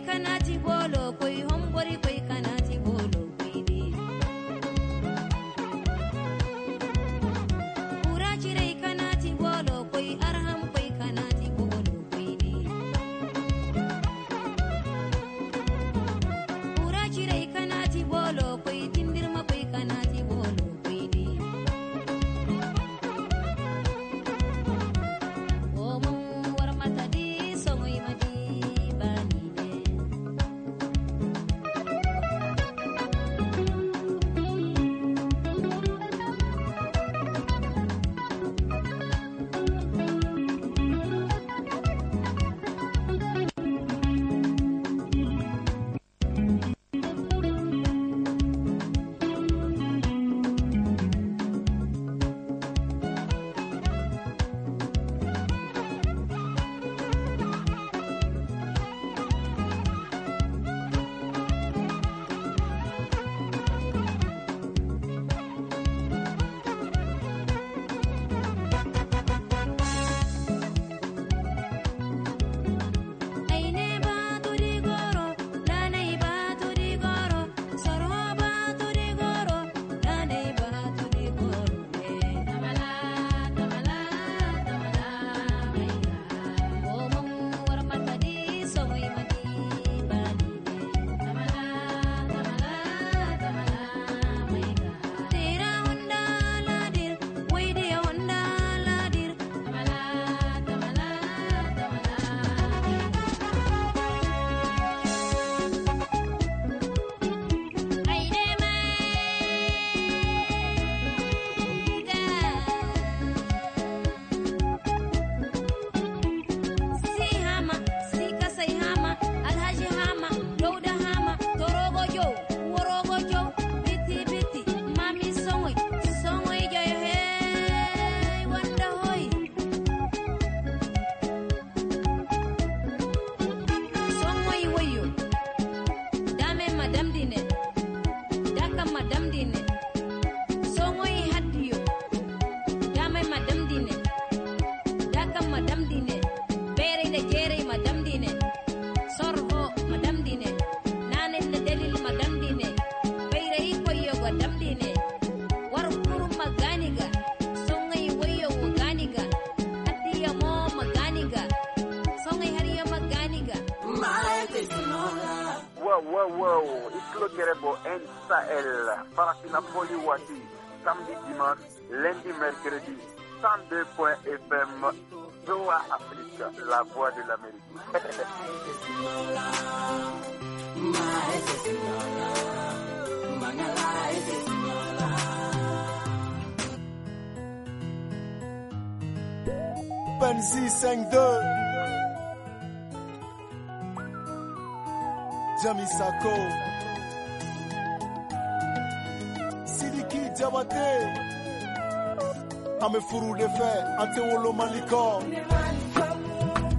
Kanati bolo koi hombori koi kanati bolo. Dakam madam dine Songoy hadiyo Damay madam dine Dakam madam dine Bere da jere madam dine Sorho madam dine Nane da delil madam dine Bayra ikoyo madam dine Warukuru maganiga Songoy wayo maganiga Hadiya mo maganiga Songoy hariyo maganiga Wow, wow, wow, Iclo N Sahel, Farafina Foli Wati, samedi, dimanche, lundi, mercredi, cent deux point F M, Doha Afrique, la voix de l'Amérique. Benzi cinq deux Jami Sako Sidiki Diabaté Ame furu de fɛ an tɛ wolo Mali kɔ.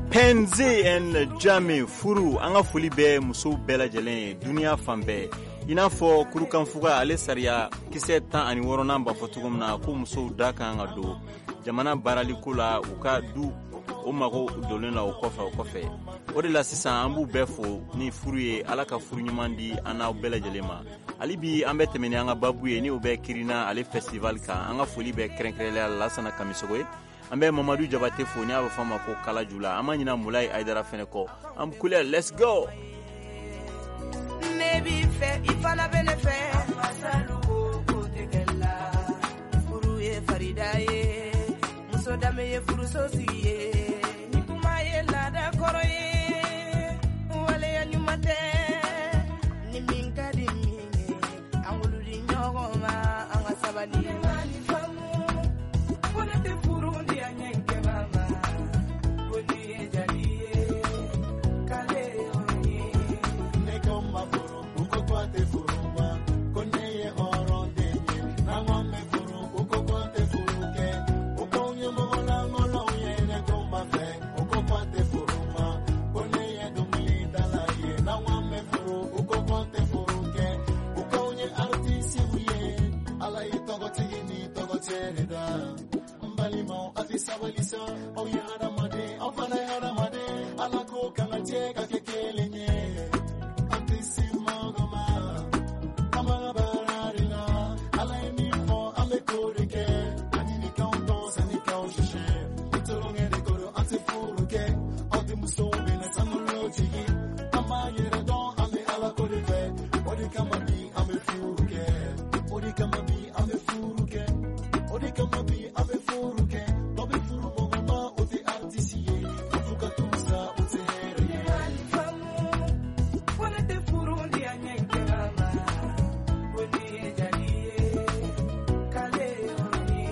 Penzi and Jami furu an ka foli bɛ musow bɛɛ lajɛlen ye duniya fan bɛɛ. I n'a fɔ kurukanfuga ale sariya kisɛ tan ani wɔɔrɔnan b'a fɔ cogo min na ko musow da kan ka don jamana baaraliko la u ka du o mago donnen la o kɔfɛ o kɔfɛ. O de la sisan an b'u bɛɛ fo ni furu ye Ala ka furu ɲuman di an n'aw bɛɛ lajɛlen ma. Hali bi an bɛ tɛmɛ ni an ka babu ye ni o bɛ Kirina ale festival kan. An ka foli bɛ kɛrɛnkɛrɛnnenya la Lasana Kamisogo ye. An bɛ Mamadu Jabate fo ni a bɛ fɔ a ma ko Kalajula. An ma ɲina Mulayi Ayidara fɛnɛ kɔ. An kule, let's go. Ne b'i fɛ i fana bɛ ne fɛ. Masalu ko ko tɛ kɛ la. Furu ye farida ye. Muso danbe ye furuso sigi ye. Ni kuma ye laada kɔrɔ ye. Waleya ɲuman tɛ. Ni min ka di min ye. An wolo di ɲɔgɔn ma an ka sabali. Ne ma nin faamu. Ko ne tɛ furu di a ɲɛkɛba ma. Ko ni ye jali ye. K'ale ye hɔrɔn ye. Ne ko ma furu u ko k'a tɛ furu ma. Ko ne ye hɔrɔn den ye. N'an ko an bɛ furu u ko k'an tɛ furu kɛ. U k'anw ye mɔgɔ lankolonw ye. Ne ko ma fɛ u ko k'a tɛ furu ma. Ko ne ye dɔnkilidala ye. N'an ko an bɛ furu u ko k'an tɛ furu kɛ. U k'anw ye artisiw ye. Ala ye tɔgɔtigi ni tɔgɔcɛ de da. N balimaw a tɛ sabali sa. Aw ye hadamaden aw fana ye hadamaden. Ala ko k'an ka jɛ ka kɛ kelen ye. An tɛ se mɔgɔ ma. An b'an ka baara de la. Ala ye min fɔ an bɛ k'o de kɛ. A ɲini k'anw dɔn sanni k'anw sise. Ni tulonkɛ de ko don an tɛ furu kɛ. Aw denmusow bɛna sankolo jigin. An b'an yɛrɛ dɔn an bɛ Ala ko de fɛ. O de kama bi an bɛ furu kɛ. O de kama bi an bɛ furu kɛ. O de kama bi an bɛ furu kɛ. Dɔ bɛ furu mɔgɔ ma o tɛ artiste ye. Ko f'u ka t'u sa o tɛ hɛrɛ ye. Ne ma nin faamu. Ko ne tɛ furu di a ɲɛkɛba ma. Ko ni ye jali ye. K'ale ye hɔrɔn ye.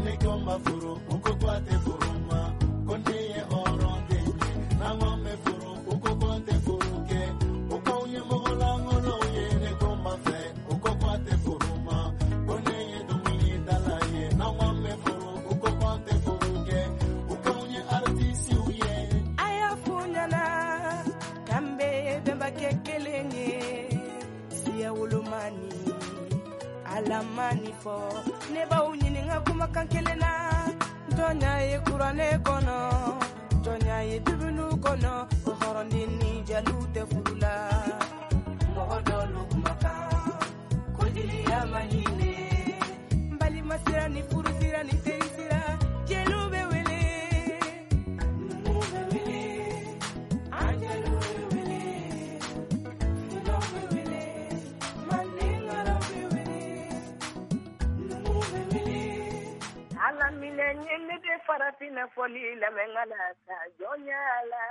Ne ko ma furu u ko k'a tɛ furu ma. Ko ne ye hɔrɔn den ye. N'an ko an bɛ furu u ko k'an tɛ furu kɛ. U k'anw ye mɔgɔ lankolonw ye. Ne ko ma fɛ u ko k'a tɛ furu ma. Ko ne ye dɔnkilidala ye. N'an ko an bɛ furu u ko k'an tɛ furu kɛ. U k'anw ye artisiw ye. A y'a f'u ɲɛna k'an bɛɛ ye bɛnbakɛ kelen ye. Siya wolomani Ala ma nin fɔ. Ne b'aw ɲininka kumakan kelen na. Jɔnya ye kuranɛ kɔnɔ. Jɔnya ye bibulu kɔnɔ. Ko hɔrɔnden ni jaliw tɛ furu la. Mɔgɔ dɔlu kumakan ko jeliya ma ɲinɛ. N balima sira ni furu sira ni teri sira. Jeliw bɛ wele. Numuw bɛ wele. An jeliw bɛ wele. Fulaw bɛ wele. Mandenkaraw bɛ wele. Numuw bɛ wele. Ala minɛ ye ne de farafinna fɔli lamɛn ka na sa jɔnya la.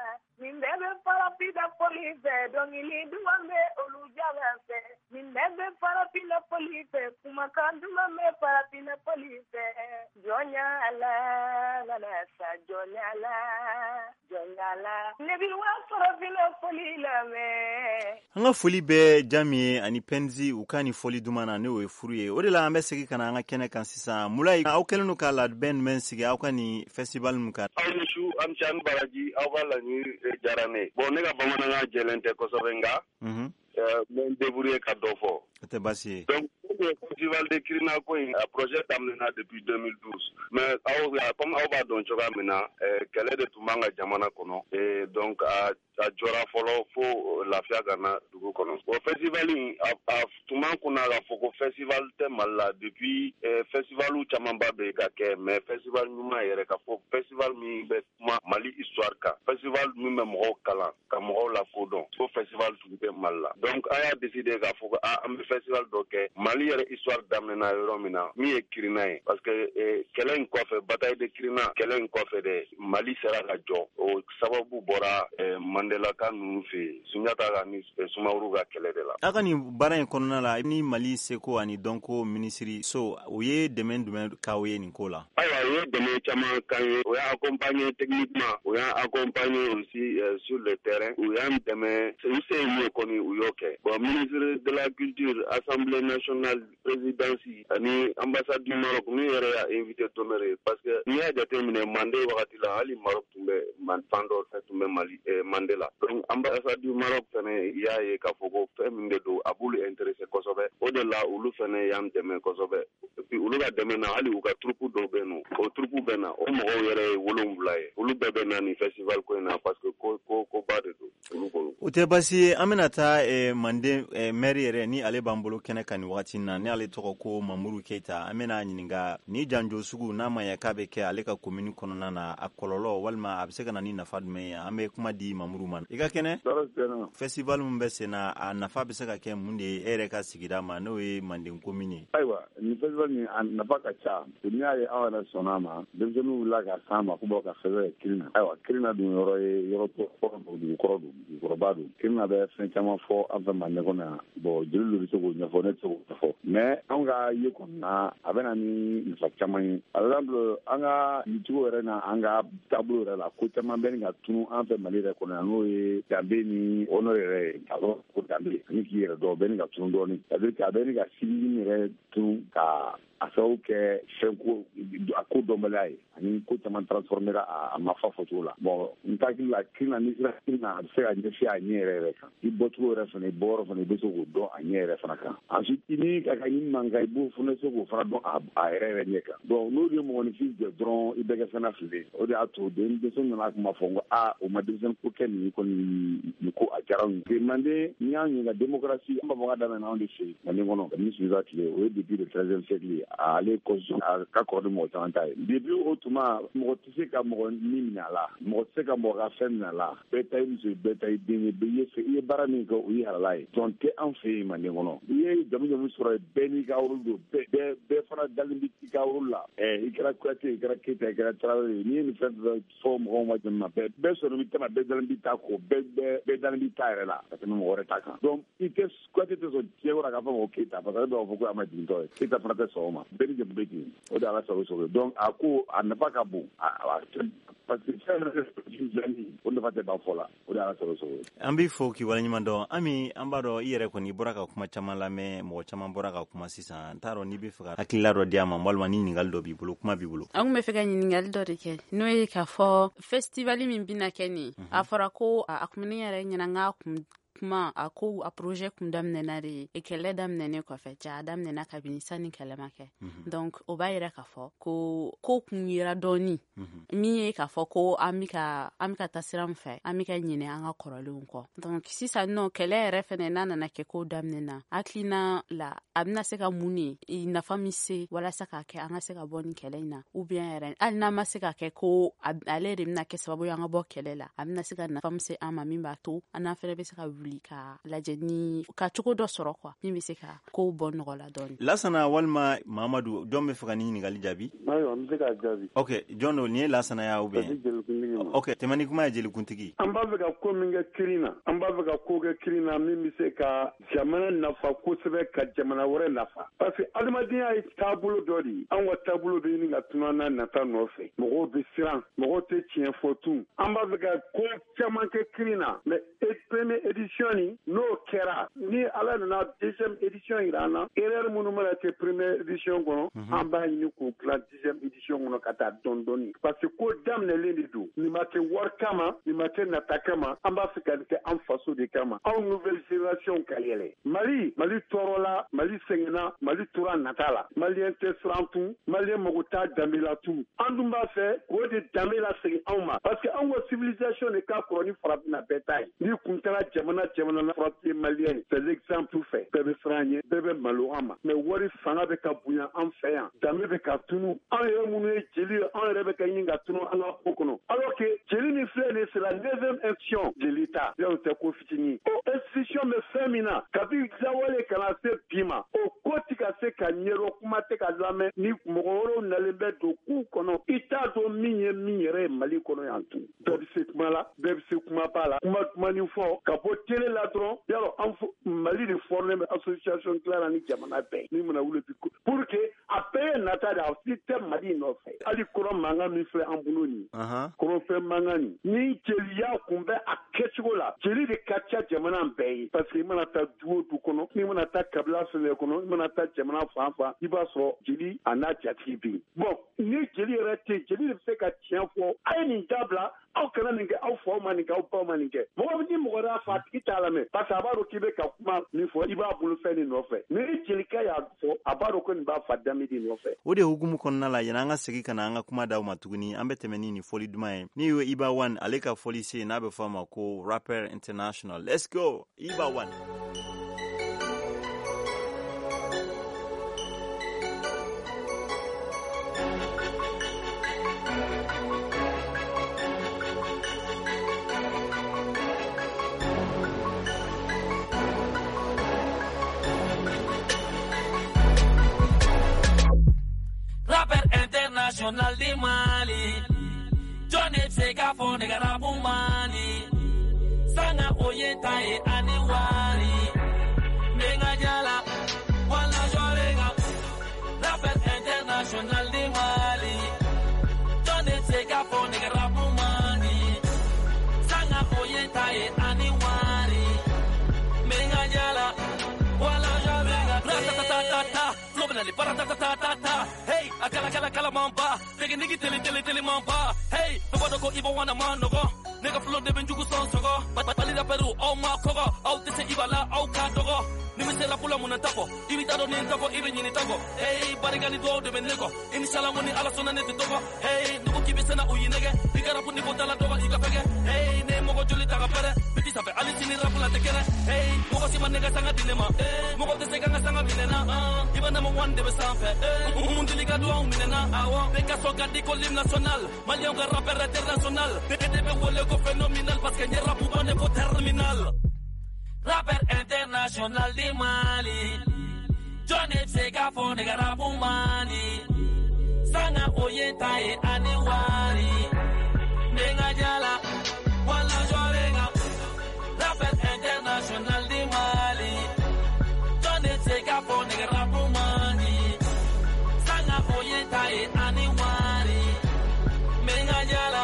Nin bɛɛ bɛ farafinna fɔli fɛ dɔnkili duman bɛ olu jala fɛ. Nin bɛɛ bɛ farafinna fɔli fɛ kumakan duman bɛ farafinna fɔli fɛ. Jɔnya la ka na sa jɔnya la jɔnya la. Ne bi wa farafinna fɔli lamɛn. An ka foli bɛ Jami ye ani Penzi u ka nin fɔli duman na n'o ye furu ye. O de la an bɛ segin ka na an ka kɛnɛ kan sisan. Mulayi, aw kɛlen don ka labɛn jumɛn sigi aw ka nin festival min kan? Aw ni su, aw ni ce, aw ni baraji, aw ka laɲini diyara ne ye. Bon, ne ka bamanankan jɛlen tɛ kosɛbɛ, nka n bɛ n débrouiller ka dɔ fɔ. O tɛ baasi ye. Donc festival de Kirina ko in, a projet daminɛna depuis deux mille douze, mais aw comme aw b'a dɔn cogoya min na, kɛlɛ de tun b'an ka jamana kɔnɔ, et donc a a jɔra fɔlɔ fo lafiya ka na dugu kɔnɔ. O festival in, a a tun b'an kunna k'a fɔ ko festival tɛ Mali la depuis. Festival camanba bɛ ka kɛ, mais festival ɲuman yɛrɛ, ka fɔ festival min bɛ kuma Mali histoire kan, festival min bɛ mɔgɔw kalan ka mɔgɔw lakodɔn, o festival tun tɛ Mali la. Donc an y'a décider k'a fɔ ko ah, an bɛ festival dɔ kɛ Mali yɛrɛ histoire daminɛna yɔrɔ min na, min ye Kirina ye, parce que kɛlɛ in kɔfɛ, bataille de Kirina kɛlɛ in kɔfɛ de, Mali sera ka jɔ. O sababu bɔra Mandela ka ninnu fɛ yen, Sunjata ka ni Sumaworo ka kɛlɛ de la. A ka nin baara in kɔnɔna la, ni Mali seko ani dɔnko minisiri so, o ye dɛmɛ jumɛn k'aw ye nin ko la? Ayiwa, u ye dɛmɛ caman k'an ye. O y'a accompagner techniquement, o y'an accompagner aussi sur le terrain, u y'an dɛmɛ, u se ye min ye kɔni, u y'o kɛ. Bon, ministre de la culture, assemblée nationale, présidence ani ambassade du Maroc min yɛrɛ y'a invité d'honneur ye, parce que n'i y'a jateminɛ Mande wagati la, hali Maroc tun bɛ fan dɔ fɛ, tun bɛ Mali Mande la. Donc ambassade du Maroc fɛnɛ y'a ye k'a fɔ ko fɛn min de don, a b'olu intéressé kosɛbɛ. O de la olu fɛnɛ y'an dɛmɛ kosɛbɛ. Et puis olu ka dɛmɛ na, hali u ka troupe dɔw bɛ yen nɔ, o troupe bɛ na, o mɔgɔw yɛrɛ ye wolonwula ye, olu bɛɛ bɛ na nin festival ko in na, parce que ko ko koba de don olu bolo. O tɛ baasi ye. An bɛna taa Manden maire yɛrɛ, ni ale b'an bolo kɛnɛ kan nin wagati in na, ni ale tɔgɔ ko Mamuru Keyita. An bɛna ɲininka ni janjo sugu n'a ma ɲɛ k'a bɛ kɛ ale ka commune kɔnɔna na, a kɔlɔlɔ walima a bɛ se ka na ni nafa jumɛn ye. An bɛ kuma di Mamuru ma. I ka kɛnɛ? Festival min bɛ sen na, a nafa bɛ se ka kɛ mun de ye e yɛrɛ ka sigida ma, n'o ye Manden commune ye? Ayiwa, nin festival nin, a nafa ka ca. N'i y'a ye aw yɛrɛ sɔnna a ma, denmisɛnninw wulila ka s'an ma k'u bɔ ka fɛn kɛ Kirina. Ayiwa, Kirina dun yɔrɔ ye yɔrɔ kɔrɔ don, dugu kɔrɔ don, dugukɔrɔba don. Kirina bɛ fɛn caman fɔ an fɛ Manden kɔnɔ yan. Bon, jeli dɔ bɛ se k'o ɲɛfɔ, ne tɛ se k'o ɲɛfɔ, mais anw ka ye kɔni na, a bɛ na ni nafa caman ye. Par exemple, an ka yicogo yɛrɛ na, an ka taabolo yɛrɛ la, ko caman bɛ nin ka tunu an fɛ Mali yɛrɛ kɔnɔ yan, n'o ye danbe ni honneur yɛrɛ ye. K'a dɔn ko danbe ani k'i yɛrɛ dɔn, o bɛ nin ka tunu dɔɔnin. C'est à dire que a bɛ nin ka civisme yɛrɛ tunu, ka a sababu kɛ fɛn ko a ko dɔnbaliya ye, ani ko caman transformera a ma fa fɔcogo la. Bon, n hakili la, Kirina, n'i sera Kirina, a bɛ se ka ɲɛsin a ɲɛ yɛrɛ yɛrɛ kan. I bɔcogo yɛrɛ fana, i bɔyɔrɔ fana, i bɛ se k'o dɔn a ɲɛ yɛrɛ fana kan. Ensuite, i ni ka ka ɲini man kan, i b'o fana se k'o fana dɔn a yɛrɛ yɛrɛ ɲɛ kan. Donc n'o de ye mɔgɔninfin jɛ dɔrɔn, i bɛ kɛ fɛn na fili. O de y'a to denmisɛnnin nana kuma fɔ n ko aa, o ma denmisɛnnin ko kɛ nin kɔni, nin ko a diyara anw ye. Manden, n'i y'an ɲininka démocratie, an b'a fɔ k'a daminɛ anw de fɛ yen Manden kɔnɔ kabini Sunjata tile, o ye depuis le treizième siècle ye. Ale constitution a ka kɔrɔ ni mɔgɔ caman ta ye. Depuis o tuma, mɔgɔ tɛ se ka mɔgɔ ni minɛ a la, mɔgɔ tɛ se ka mɔgɔ ka fɛn minɛ a la. Bɛɛ ta ye muso ye, bɛɛ ta ye den ye, bɛɛ ye i ye baara min kɛ, o ye halala ye. Jɔn tɛ an fɛ yen Manden kɔnɔ. I ye jamu jamu sɔrɔ yen, bɛɛ n'i ka rôle don, bɛɛ bɛɛ fana dalen bɛ i ka rôle la. Ɛ i kɛra Kuyate, i kɛra Keyita, i kɛra Tarawele ye, n'i ye nin fɛn fɛn fɔ mɔgɔw ma jamu ma, bɛɛ bɛɛ sɔrɔ b'i ta ma, bɛɛ dalen b'i ta ko, bɛɛ bɛɛ bɛɛ dalen b'i ta yɛrɛ la ka tɛmɛ mɔgɔ wɛrɛ ta kan. Donc i tɛ Kuyate tɛ sɔn diɲɛ kɔnɔ k'a fɔ ko Keyita, parce que ale b'a fɔ ko a ma jigintɔ ye. Keyita fana tɛ sɔn o ma. Bɛɛ ni jamu bɛ ten, o de ala sago sago. Donc a ko a nafa ka bon, parce que fɛn yɛrɛ o nafa tɛ ban fɔ la, o de ala sago sago. An b'i fo k'i waleɲuman dɔn. Ami, an b'a dɔn i yɛrɛ kɔni bɔra ka kuma caman lamɛn, mɔgɔ caman bɔra ka kuma sisan. N t'a dɔn n'i bɛ fɛ ka hakilila dɔ di a ma, walima ni ɲininkali dɔ b'i bolo, kuma b'i bolo. An kun bɛ fɛ ka ɲininkali dɔ de kɛ, n'o ye k'a fɔ festival min bɛna kɛ nin, a fɔra ko a kun ne yɛrɛ ɲɛna, n k'a kun kuma a ko a projet kun daminɛna de kɛlɛ daminɛnen kɔfɛ, ja a daminɛna kabini sani kɛlɛ ma kɛ. Donc o b'a yira k'a fɔ ko ko kun yera dɔɔni, min ye k'a fɔ ko an bɛ ka an bɛ ka taa sira min fɛ, an bɛ ka ɲinɛ an ka kɔrɔlenw kɔ. Donc sisan nɔ, kɛlɛ yɛrɛ fɛnɛ n'a nana kɛ ko daminɛna, hakilina la a bɛna se ka mun de nafa min se walasa k'a kɛ an ka se ka bɔ nin kɛlɛ in na, ou bien yɛrɛ hali n'a ma se ka kɛ ko ale de bɛna kɛ sababu ye an ka bɔ kɛlɛ la, a bɛna se ka nafa min se an ma, min b'a to an n'an fɛnɛ bɛ se ka wuli ka lajɛ ni ka cogo dɔ sɔrɔ quoi, min bɛ se ka kow bɔ nɔgɔ la dɔɔni. Lasana walima Mamadu, jɔn bɛ fɛ ka nin ɲininkali jaabi? Ayiwa, n bɛ se k'a jaabi. Ok, jɔn don? Nin ye Lasana ya ou bien? Jelikuntigi ma. Ok, tɛmɛ ni kuma ye jelikuntigi. An b'a fɛ ka ko min kɛ Kirina, an b'a fɛ ka ko kɛ Kirina min bɛ se ka jamana nafa kosɛbɛ, ka jamana wɛrɛ nafa, parce que adamadenya ye taabolo dɔ de ye. Anw ka taabolo bɛ ɲini ka tunu an n'a nata nɔfɛ, mɔgɔw bɛ siran, mɔgɔw tɛ tiɲɛ fɔ tun. An b'a fɛ ka ko caman kɛ Kirina, mais première édition édition nin, n'o kɛra, ni Ala nana deuxième édition yira an na, erreur minnu mana kɛ première édition kɔnɔ, an b'a ɲini k'o dilan deuxième édition kɔnɔ ka taa dɔɔni dɔɔni, parce que ko daminɛlen de don. Nin ma kɛ wari kama, nin ma kɛ nata kama, an b'a fɛ ka nin kɛ an faso de kama, anw nouvelle génération ka yɛlɛ. Mali, Mali tɔɔrɔla, Mali sɛgɛnna, Mali tora nata la. Maliyɛn tɛ siran tun, maliyɛn mago t'a danbe la tun. An dun b'a fɛ k'o de danbe lasegin anw ma, parce que anw ka civilisation de ka kɔrɔ ni farafinna bɛɛ ta ye. N'i kun taara jamana jamana na, farafinna maliyɛn, c'est l'exemple fɛ, bɛɛ bɛ siran an ɲɛ, bɛɛ bɛ malo an ma. Mais wari fanga bɛ ka bonya an fɛ yan, danbe bɛ ka tunu. An yɛrɛ minnu ye jeli ye, an yɛrɛ bɛ ka ɲini ka tunu an ka ko kɔnɔ, alors que jeli min filɛ nin ye, c'est la neuvième institution de l'État. Yɔrɔ tɛ ko fitinin. O institution bɛ fɛn min na kabi lawale ka na se bi ma, o ko ti ka se ka ɲɛdɔn, kuma tɛ ka lamɛn. Ni mɔgɔ wɛrɛw nalen bɛ don k'u kɔnɔ, i t'a dɔn min ye min yɛrɛ ye Mali kɔnɔ yan tun. Bɛɛ bɛ se kuma la, bɛɛ bɛ se kumaba la, kuma dumanni fɔ ka bɔ télé la dɔrɔn. Yarɔ an Mali de formé bɛ association dilanna ni jamana bɛɛ ni mana wuli bi, pour que a bɛɛ ye nata de, a si tɛ Mali nɔfɛ. Hali kɔrɔ mankan min filɛ an bolo nin, kɔrɔfɛn mankan nin, ni jeliya kun bɛ a kɛcogo la, jeli de ka ca jamana bɛɛ ye, parce que i mana taa du o du kɔnɔ, n'i mana taa kabila fɛn fɛn kɔnɔ, i mana taa jamana fan fan, i b'a sɔrɔ jeli a n'a jatigi bɛ yen. Bon, ni jeli yɛrɛ tɛ, jeli de bɛ se ka tiɲɛ fɔ, a ye nin dabila, aw kana nin kɛ, aw faw ma nin kɛ, aw baw ma nin kɛ. Mɔgɔ ni mɔgɔ y'a fɔ, a tigi t'a lamɛn, parce que a b'a dɔn k'i bɛ ka kuma min fɔ, i b'a bolo fɛn de nɔfɛ. Mais ni jelikɛ y'a fɔ, a b'a dɔn ko nin b'a fa danbe de nɔfɛ. O de hukumu kɔnɔna la, yanni an ka segin ka na an ka kuma d'aw ma tuguni, an bɛ tɛmɛ ni nin fɔli duman ye. Ni ye Iba One, ale ka fɔli se, n'a bɛ fɔ a ma ko Rapper International. Let's go, Iba One. International di Mali, Johnny bɛ se k'a fɔ ne ka rapu Mali, sanga o ye ta ye ani wari, n bɛ n ka jala wala jɔlen kan. Rapper international di Mali, Johnny bɛ se k'a fɔ ne ka rapu Mali, sanga o ye ta ye ani wari, n bɛ n ka jala wala jɔlen kan. Ratatatata, flow bɛ nali paratatatata, hey. A kala kala kala manba, technique tele tele tele manba. Hey, bɛɛ b'a dɔn ko Iba One ma nɔgɔ, ne ka flow de bɛ n jugu sɔn sɔgɔ. Mali rappeurw aw ma kɔgɔ, aw tɛ se Iba la, aw ka dɔgɔ. Ni bɛ se rap la mun na ta fɔ, i bɛ taa dɔn ni n ta fɔ, i bɛ ɲini ta kɔ. Hey, barika ni duwawu de bɛ ne kɔ, i ni sala ko ni Ala sɔnna ne tɛ dɔgɔ. Hey, nugu k'i bɛ sɛnɛ u y'i nɛgɛ, i ka rap niveau t'a la dɔgɔ, i ka fɛgɛ. Hey, ne ye mɔgɔ joli ta ka pɛrɛ, biti sanfɛ hali sini rap la tɛ kɛnɛ. Hey, mɔgɔ si ma ne ka sanga di ne ma, mɔgɔ tɛ se ka n ka sanga minɛ na. Iba number one de bɛ sanfɛ, mun deli ka duwawu minɛ na. Awɔ, bɛɛ ka sɔn ka di ko l'hymne national, maliyɛnw ka rappeur international. Ne de bɛ wele ko phénoménal, parce que n ye rap ban de fo terminal. Rapper international di Mali, Johnny bɛ se k'a fɔ ne ka rap Mali, sanga o ye ta ye ani wari, n bɛ n ka jala wala jɔlen kan. Rapper international di Mali, Johnny bɛ se k'a fɔ ne ka rap Mali, sanga o ye ta ye ani wari, n bɛ n ka jala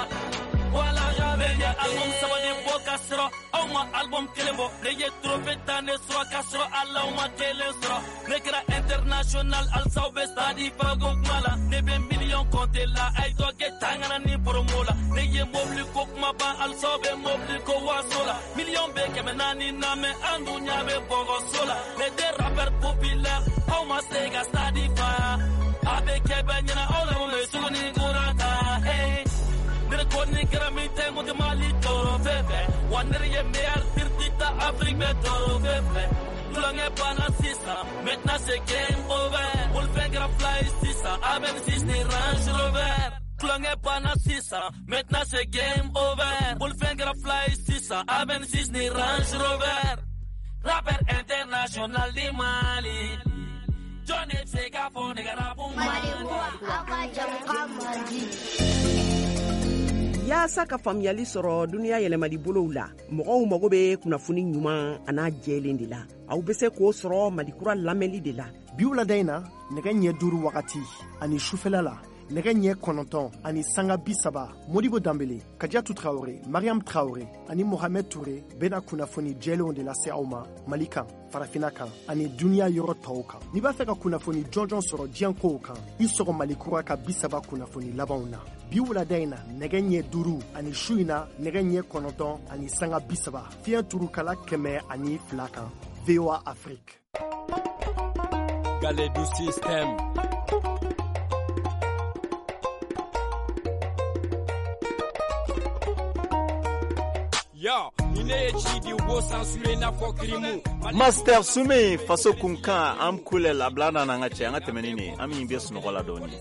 wala jɔlen kan. Album saba de bɔ ka sɔrɔ aw ma album kelen bɔ, ne ye trophée ta ne sɔrɔ ka sɔrɔ ala aw ma kelen sɔrɔ. Ne kɛra international halisa aw bɛ stade fago kuma la, ne bɛ million compter la, a ye dɔ kɛ tangana ni promo la. Ne ye mobili ko kuma ban halisa aw bɛ mobili ko waso la, million bɛ kɛmɛ naani na mɛ an dun ɲɛ bɛ bɔgɔso la. Ne tɛ rappeur populaire, aw ma se ka stade fa, a bɛ kɛ bɛɛ ɲɛna aw la mun bɛ suguni kura ta. Hey, ne ko ni kɛra min tɛ n kun tɛ Mali trophée fɛ, wa ne de ye meilleur tiriti ta Afrique bɛɛ trophée fɛ. Tulonkɛ banna sisan, maintenant c'est game over. Bolifɛn kɛra fila ye sisan, A B six ni Range Rover. Tulonkɛ banna sisan, maintenant c'est game over. Bolifɛn kɛra fila ye sisan, A B six ni Range Rover. Rapper international di Mali, Johnny bɛ se k'a fɔ ne ka rap Mali. Aw ka jamukan man di. Yaasa ka faamuyali sɔrɔ duniya yɛlɛmali bolow la, mɔgɔw mago bɛ kunnafoni ɲuman an'a jɛlen de la. Aw bɛ se k'o sɔrɔ Malikura lamɛnli de la. Bi wulada in na, nɛgɛ ɲɛ duuru wagati ani sufɛla la, Nɛgɛ ɲɛ kɔnɔntɔn ani sanga bi saba, Modibo Danbele, Kadiatu Traore, Mariam Traore ani Mohamed Touré bɛna kunnafoni jɛlenw de lase aw ma Mali kan, Farafina kan ani duniya yɔrɔ tɔw kan. N'i b'a fɛ ka kunnafoni jɔnjɔn sɔrɔ diɲɛ kow kan, i sɔgɔ Mali kura ka bi saba kunnafoni labanw na. Bi wulada in na nɛgɛ ɲɛ duuru ani su in na nɛgɛ ɲɛ kɔnɔntɔn ani sanga bi saba, fiɲɛ turukala kɛmɛ ani fila kan, V O A Afrique. Galedou système. Master Soume faso kunkan am kulel a bila n'an ka cɛ an ka tɛmɛni ni an min bɛ sunɔgɔ la dɔɔni.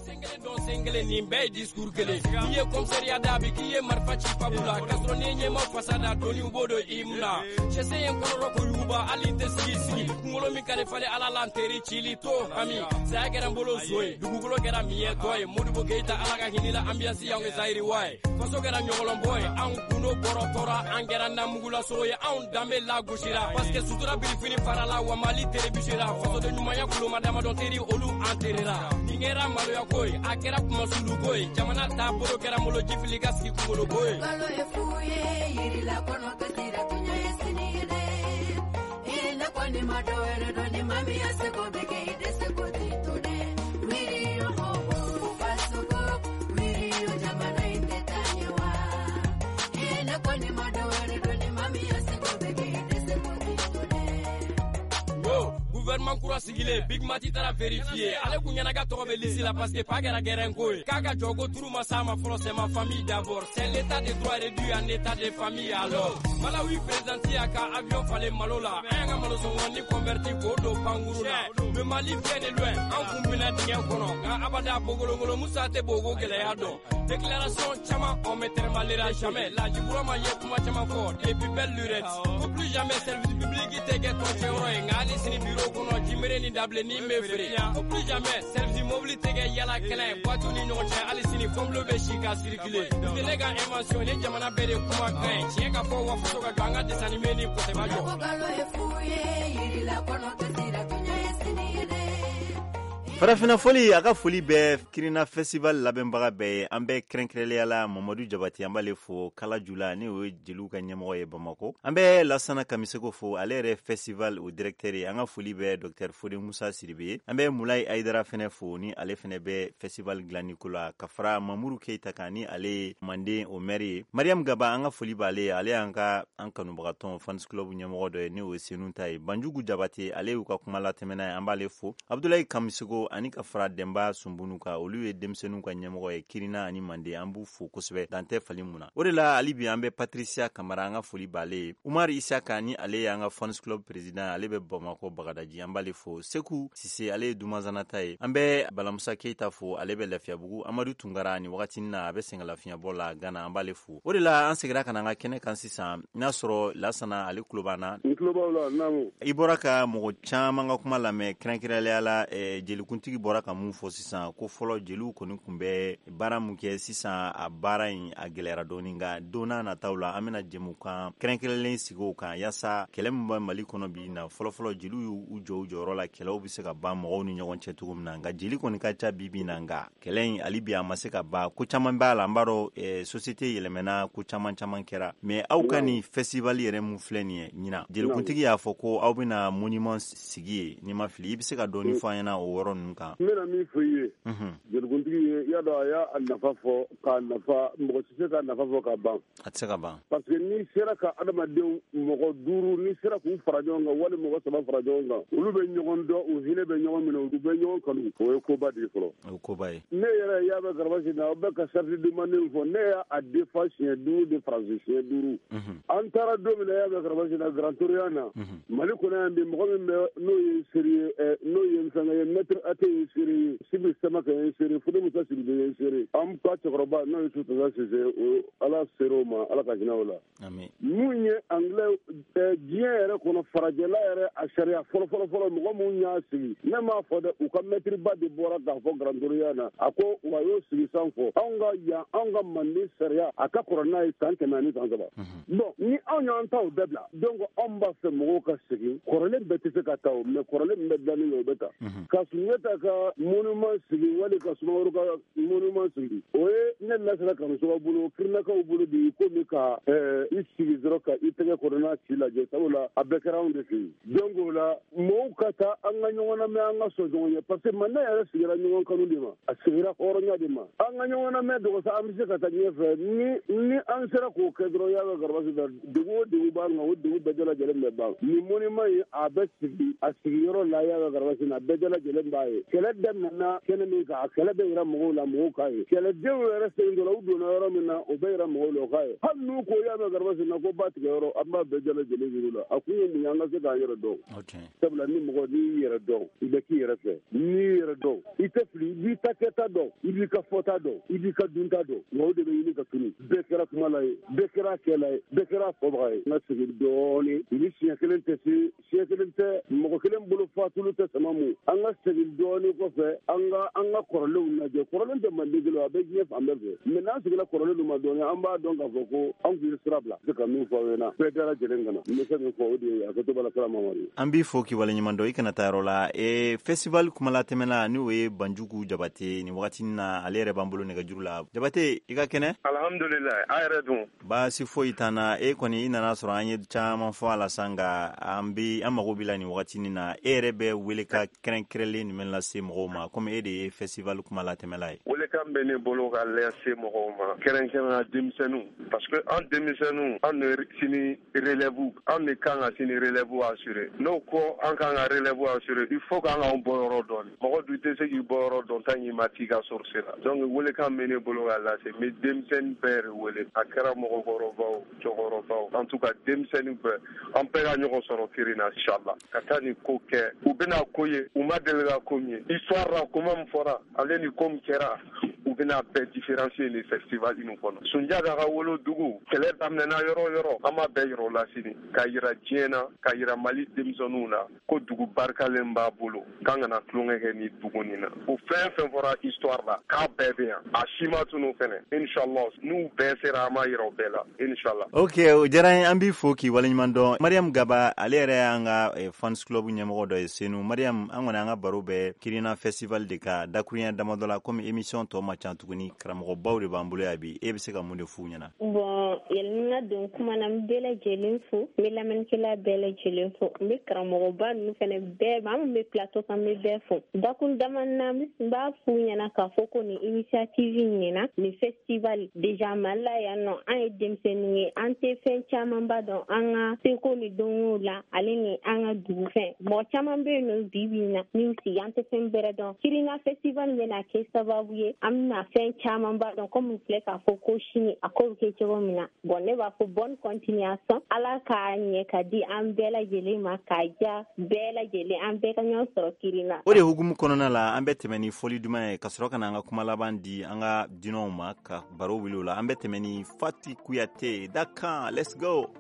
Nin bɛɛ ye discours kelen n'i ye commissariat da bi k'i ye marifa ci pabu la k'a sɔrɔ n'i ye ɲɛma fasa da doni u b'o don i mun na sɛsɛ ye kɔnɔrɔ ko yuguba hali tɛ sigi sigi kunkolo min ka di falen ala la n teri cili to hami saya kɛra n bolo zo ye dugukolo kɛra miɲɛtɔ ye Modibo Keyita ala ka hinɛ la ambiance y'anw kɛ Zayiri wa ye faso kɛra ɲɔgɔlɔnbɔ ye anw gundo bɔrɔ tɔra an kɛra namugulasogo ye anw danbe lagosira parce que sutura birifini farala wa Mali terebisera fasoden ɲumanya kuloma damadɔ teri olu an terera nin kɛra maloya ko ye a kɛra kumasulu ko ye jamana taabolo kɛra malo jifili ka sigi kunkolo ko ye. Balo ye fu ye yirila kɔnɔ kasira tunya ye sini ye dɛ i ne kɔni ma dɔ wɛrɛ dɔn ni maa min ya seko bɛ kɛ i dɛsɛ ko t'i to dɛ wiri yo ho ho fasoko wiri yo jamana in tɛ taa ɲɛ wa i ne kɔni ma dɔ wɛrɛ dɔn ni maa min ya seko bɛ kɛ i dɛsɛ ko t'i to dɛ. Gouvernement kura sigilen Big Mati taara vérifier ale kun ɲɛna ka tɔgɔ bɛ liste la parce que pa kɛra gɛrɛn ko ye k'a ka jɔ ko turu ma s'a ma fɔlɔ c'est ma famille d'abord c'est l'état de droit réduit en état de famille alors Malawi président y'a ka avion falen malo la an y'an ka malo sɔngɔ ni converti k'o don pankuru la le Mali vient de loin an kun bɛna dingɛ kɔnɔ nka abada bogolongolo Musa tɛ bogo gɛlɛya dɔn déclaration caman on me tɛrɛmalera jamais Laji Burama ye kuma caman fɔ depuis belle lurette ko plus jamais service public tɛ kɛ tɔncɛyɔrɔ ye nka hali sini bureau kɔnɔ jimere ni dabilenni bɛ feere ko plus jamais service mobili tɛ kɛ yala kɛnɛ ye boîte ni ɲɔgɔn cɛ hali sini fɔnbilo bɛ si ka circuler nin tɛ ne ka invention ni jamana bɛɛ de kuma kan ye tiɲɛ ka fɔ wa faso ka jɔ an ka dessin animé ni kɔsɛbɛ jɔ. Ko balo ye fu ye yirila kɔnɔ kasira tunya ye sini ye dɛ. Farafina foli a ka foli bɛ Kirina Festival labɛnbaga bɛɛ ye. An bɛ kɛrɛnkɛrɛnnenya la Mamadu Jabati an b'ale fo Kalajula ni o ye jeliw ka ɲɛmɔgɔ ye Bamakɔ. An bɛ Lasana Kamiseko fo ale yɛrɛ festival o directeur ye. An ka foli bɛ docteur Fode Musa Sidibe ye. An bɛ Mulayi Ayidara fɛnɛ fo ni ale fɛnɛ bɛ festival dilanni ko la ka fara Mamuru Keyita kan ni ale ye Manden o maire ye. Mariam Gaba an ka foli b'ale ye, ale y'an ka an kanubagatɔn fans club ɲɛmɔgɔ dɔ ye ni o ye Senu ta ye. Banjugu Jabate ale y'u ka kuma latɛmɛna ye, an b'ale fo. Abdulayi Kamiseko ani ka fara Denba Sunbunu kan, olu ye denmisɛnninw ka ɲɛmɔgɔ ye Kirina ani Manden, an b'u fo kosɛbɛ dan tɛ fali mun na. O de la hali bi an bɛ Patricia Kamara an ka foli b'ale ye. Umar Isaka ni ale y'an ka fans club président, ale bɛ Bamakɔ Bagadaji, an b'ale fo. Seku Sise ale ye Dumazana ta ye. An bɛ Balamusa Keyita fo, ale bɛ Lafiyabugu. Amadu Tunkara ni wagati na a bɛ sɛgɛnlafiɲɛbɔ la Gana, an b'ale fo. O de la an seginna ka na an ka kɛnɛ kan sisan, n'a sɔrɔ Lasana ale tulo b'an na. N tulo b'aw la, naamu. I bɔra ka mɔgɔ caman ka kuma lamɛn, kɛrɛnkɛrɛnnenya la jelikuntigi bɔra ka mun fɔ sisan, ko fɔlɔ jeliw kɔni tun bɛ baara mun kɛ, sisan a baara in a gɛlɛyara dɔɔni, nka don n'a nataw la an bɛna jɛmukan kɛrɛnkɛrɛnlen sigi o kan yaasa kɛlɛ min bɛ Mali kɔnɔ bi na, fɔlɔfɔlɔ jeliw y'u jɔ u jɔyɔrɔ la, kɛlɛw bɛ se ka ban mɔgɔw ni ɲɔgɔn cɛ cogo min na. Nka jeli kɔni ka ca bi bi na, nka kɛlɛ in hali bi a ma se ka ban, ko caman b'a la, an b'a dɔn société yɛlɛmɛna, ko caman caman kɛra. Mais aw ka nin festival yɛrɛ mun filɛ nin ye ɲinan, jelikuntigi y'a fɔ ko aw bɛna monument sigi ye, n'i ma fili, i bɛ se ka dɔɔni fɔ an ɲɛna o yɔrɔ ninnu kan? N bɛna min fɔ i ye, jelikuntigi ye, i y'a dɔn a y'a nafa fɔ k'a nafa, mɔgɔ tɛ se k'a nafa fɔ k'a ban. A tɛ se ka ban. Parce que n'i sera ka adamadenw mɔgɔ duuru, n'i sera k'u fara ɲɔgɔn kan wali mɔgɔ saba fara ɲɔgɔn kan, olu bɛ ɲɔgɔn dɔn, u hinɛ bɛ ɲɔgɔn minɛ, u bɛ ɲɔgɔn kanu, o ye koba de ye fɔlɔ. O ye koba ye. Ne yɛrɛ y'a bɛ Garabasi na, aw bɛ ka charte de Manden fɔ, ne y'a defa siɲɛ duuru de Faransi siɲɛ duuru. An taara don min na y'a bɛ Garabasi na Grand Orient na, Mali kɔnɔ yan bi mɔgɔ min bɛ n'o ye seere ye, n'o ye fɛnkɛ ye, maître Ate ye seere ye, Sibi Samake ye seere, Fode Musa Sidibe ye seere, an ka cɛkɔrɔba n'o ye Sutasa Sise, o Ala seere o ma, Ala ka hinɛ o la. Mun ye anglais diɲɛ yɛrɛ kɔnɔ farajɛla yɛrɛ a sariya fɔlɔ fɔlɔ fɔlɔ mɔgɔ mun y'a sigi, ne m'a fɔ dɛ, u ka maître ba de bɔra k'a fɔ Grand Orient na, a ko wa y'o sigi san fɔ anw ka yan, anw ka Manden sariya a ka kɔrɔ n'a ye san kɛmɛ ani san saba. Bon, ni anw y'an ta o bɛɛ bila, donc anw b'a fɛ mɔgɔw ka segin kɔrɔlen bɛɛ tɛ se ka ta o, mais kɔrɔlen min bɛ dilanni kɛ o bɛ ta. Ka Sunjata Sunjata ka monument sigi wali ka Sumaworo ka monument sigi, o ye ne Lasana Kamisɔkɔ bolo, Kirinakaw bolo de komi ka i sigi dɔrɔn ka i tɛgɛ kɔnɔna ci lajɛ, sabula a bɛɛ kɛra anw de fɛ yen. Donc o la mɔgɔw ka taa an ka ɲɔgɔn lamɛn, an ka sɔn ɲɔgɔn ye, parce que Manden yɛrɛ sigira ɲɔgɔn kanu de ma, a sigira hɔrɔnya de ma. An ka ɲɔgɔn lamɛn dɔgɔsa, an bɛ se ka taa ɲɛfɛ ni ni an sera k'o kɛ dɔrɔn, y'a ka garabasi da degun o degun b'an kan, o degun bɛɛ lajɛlen bɛ ban. Nin monument in a bɛ sigi a sigiyɔrɔ la, y'a ka garabasi na, bɛɛ lajɛlen b'a ye. Kɛlɛ daminɛna kɛnɛ min kan, a kɛlɛ bɛ yira mɔgɔw la, mɔgɔw k'a ye. Kɛlɛdenw yɛrɛ segin dɔrɔn, u donna yɔrɔ min na, o bɛ yira mɔgɔw la, o k'a ye. Hali n'u ko y'a mɛn garabasi na ko ba tigɛ yɔrɔ, an b'a bɛɛ lajɛlen yir'u la. A kun ye mun ye? An ka se k'an yɛrɛ dɔn. Sabula ni mɔgɔ n'i y'i yɛrɛ dɔn, i bɛ k'i yɛrɛ fɛ. N'i y'i yɛrɛ dɔn, i tɛ fili, i b'i ta kɛta dɔn, i b'i ka fɔta dɔn, i b'i ka dunta dɔn. Nka o de bɛ ɲini ka tunu. Bɛɛ kɛra kumala ye, bɛɛ kɛra kɛla ye, bɛɛ kɛra fɔbaga ye. N ka segin dɔɔnin, ni siɲɛ kelen tɛ se, siɲɛ kelen tɛ, mɔgɔ kelen bolo fatulu tɛ sama mu. An ka segin dɔɔnin kɔfɛ, an ka an ka kɔrɔlenw lajɛ. Kɔrɔlen tɛ Manden kelen, a bɛ diɲɛ fan bɛɛ fɛ. Mais n'an seginna kɔrɔlen ma dɔɔnin, an b'a dɔn k'a fɔ ko an tun ye sira bila. Se ka min fɔ aw ɲɛna, bɛɛ lajɛlen ka na. N bɛ se min fɔ o de ye, a kɛcogo la sira Mamadu. An b'i fo k'i waleɲuman dɔn, i kana taa yɔrɔ la. E festival kumalatɛmɛna n'o ye Banjugu Jabate nin wagati na, ale yɛrɛ b'an bolo nɛgɛjuru la. Jabate, i ka kɛnɛ? Alhamdulilayi, a yɛrɛ dun? Baasi foyi t'an na. E kɔni i nana sɔrɔ an ye caman fɔ a la sa, nka an bi an mago b'i la nin wagati na. E yɛrɛ bɛ wele ka kɛrɛnkɛrɛnlen jumɛn lase mɔgɔw ma, komi e de ye festival kumalatɛmɛla ye? Welekan bɛ ne bolo ka lase mɔgɔw ma, kɛrɛnkɛrɛnnenya denmisɛnninw, parce que an denmisɛnninw, an de sini relève, an de kan ka sini relève assurer. N'o ko an kan ka relève assurer, il faut k'an k'an bɔyɔrɔ dɔn. Mɔgɔ dun tɛ se k'i bɔyɔrɔ dɔn tant k'i ma t'i ka source la. Donc welekan bɛ ne bolo ka lase, n bɛ denmisɛnnin bɛɛ de wele, a kɛra mɔgɔkɔrɔbaw, cɛkɔrɔbaw, en tout cas denmisɛnnin bɛɛ, an bɛɛ ka ɲɔgɔn sɔrɔ Kirina inchallah, ka taa nin ko kɛ. U bɛna ko ye, u ma deli ka ko min ye. Histoire la, kuma min fɔra, ale ni ko min kɛra, u bɛna bɛɛ différencier ni festival in kɔnɔ. Sunjata ka wolodugu, kɛlɛ daminɛna yɔrɔ o yɔrɔ, an b'a bɛɛ yira o la sini, ka yira diɲɛ na, ka yira Mali denmisɛnninw na ko dugu barikalen b'a bolo, k'an kana tulonkɛ kɛ ni dugu nin na. O fɛn fɛn fɔra histoire la, k'a bɛɛ bɛ yan, a si ma tunu fɛnɛ inchallah. N'u bɛɛ sera, an b'a yira o bɛɛ la inchallah. Ok, o diyara n ye, an b'i fo k'i waleɲuman dɔn. Mariam Gaba, ale yɛrɛ y'an ka fans club ɲɛmɔgɔ dɔ ye Senu. Mariam, an kɔni an ka baro bɛ Kirina festival de kan dakuruɲɛ damadɔ la, komi émission tɔ ma ca tuguni, karamɔgɔbaw de b'an bolo yan bi. E bɛ se ka mun de f'u ɲɛna? Bon, yanni n ka don kuma na, n bɛ bɛɛ lajɛlen fo, n bɛ lamɛnnikɛla bɛɛ lajɛlen fo, n bɛ karamɔgɔba ninnu fɛnɛ bɛɛ, maa min bɛ plateau kan, n bɛ bɛɛ fo. Dakun dama na, n b'a f'u ɲɛna k'a fɔ ko nin initiative in ɲɛna, nin festival déjà Mali la yan nɔ, an ye denmisɛnninw ye, an tɛ fɛn camanba dɔn an ka seko ni dɔnkow la, ale ni an ka dugufɛn. Mɔgɔ caman bɛ yen nɔ bi bi in na, n'u sigi, an tɛ fɛn bɛrɛ dɔn. Kirina festival bɛna kɛ sababu ye, an bɛna fɛn camanba dɔn, komi filɛ k'a fɔ ko sini a ko bɛ kɛ cogo min na. Bon, ne b'a fɔ bonne continuation, Ala k'a ɲɛ ka di an bɛɛ lajɛlen ma, k'a diya bɛɛ lajɛlen, an bɛɛ ka ɲɔgɔn sɔrɔ Kirina. O de hukumu kɔnɔna la, an bɛ tɛmɛ ni fɔli duman ye, ka sɔrɔ ka na an ka kuma laban di an ka dunanw ma, ka baro wuli o la. An bɛ tɛmɛ ni Fati Kuyate Dakan. Let's go.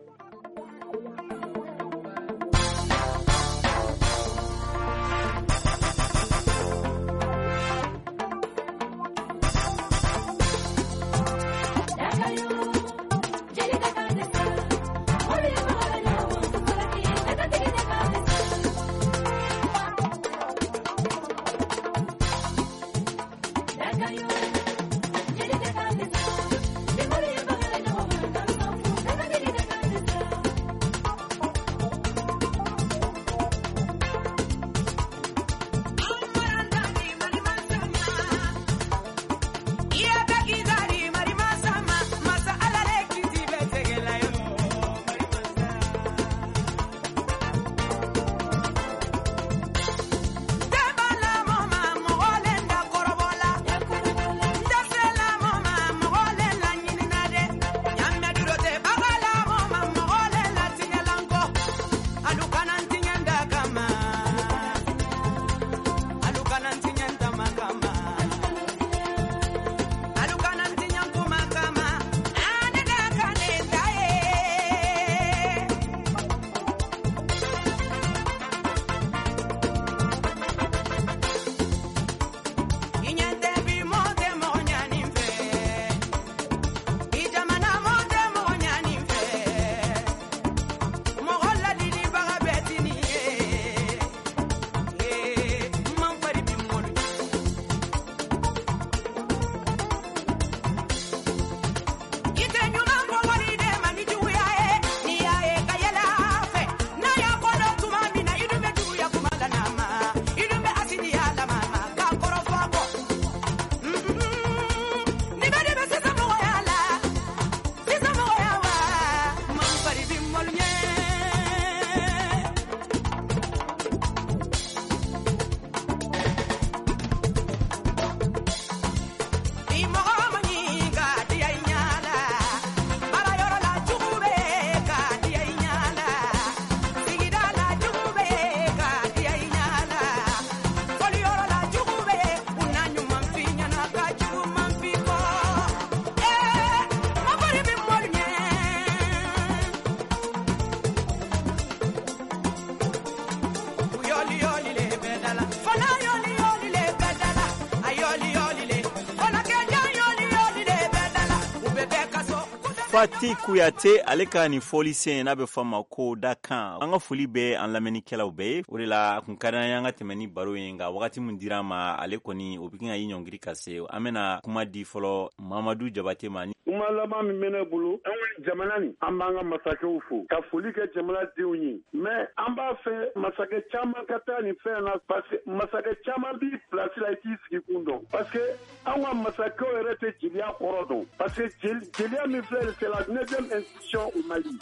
Fati Kuyate, ale ka nin fɔlisen n'a bɛ fɔ a ma ko dakan. An ka foli bɛ an lamɛnnikɛlaw bɛɛ ye. O de la a kun ka d'an ye an ka tɛmɛ ni baro ye, nka wagati min dira an ma, ale kɔni o bɛ ka i ɲɔngiri ka se. An bɛna kuma di fɔlɔ Mamadu Jabate ma. Kuma laban min bɛ ne bolo, an ka jamana nin, an b'an ka masakɛw fo ka foli kɛ jamanadenw ye, mais an b'a fɛ masakɛ caman ka taa nin fɛn na, parce que masakɛ caman b'i place la, i t'i sigi kun dɔn, parce que an ka masakɛw yɛrɛ tɛ jeliya kɔrɔ dɔn, parce que jeliya min filɛ, c'est la neuvième institution au Mali.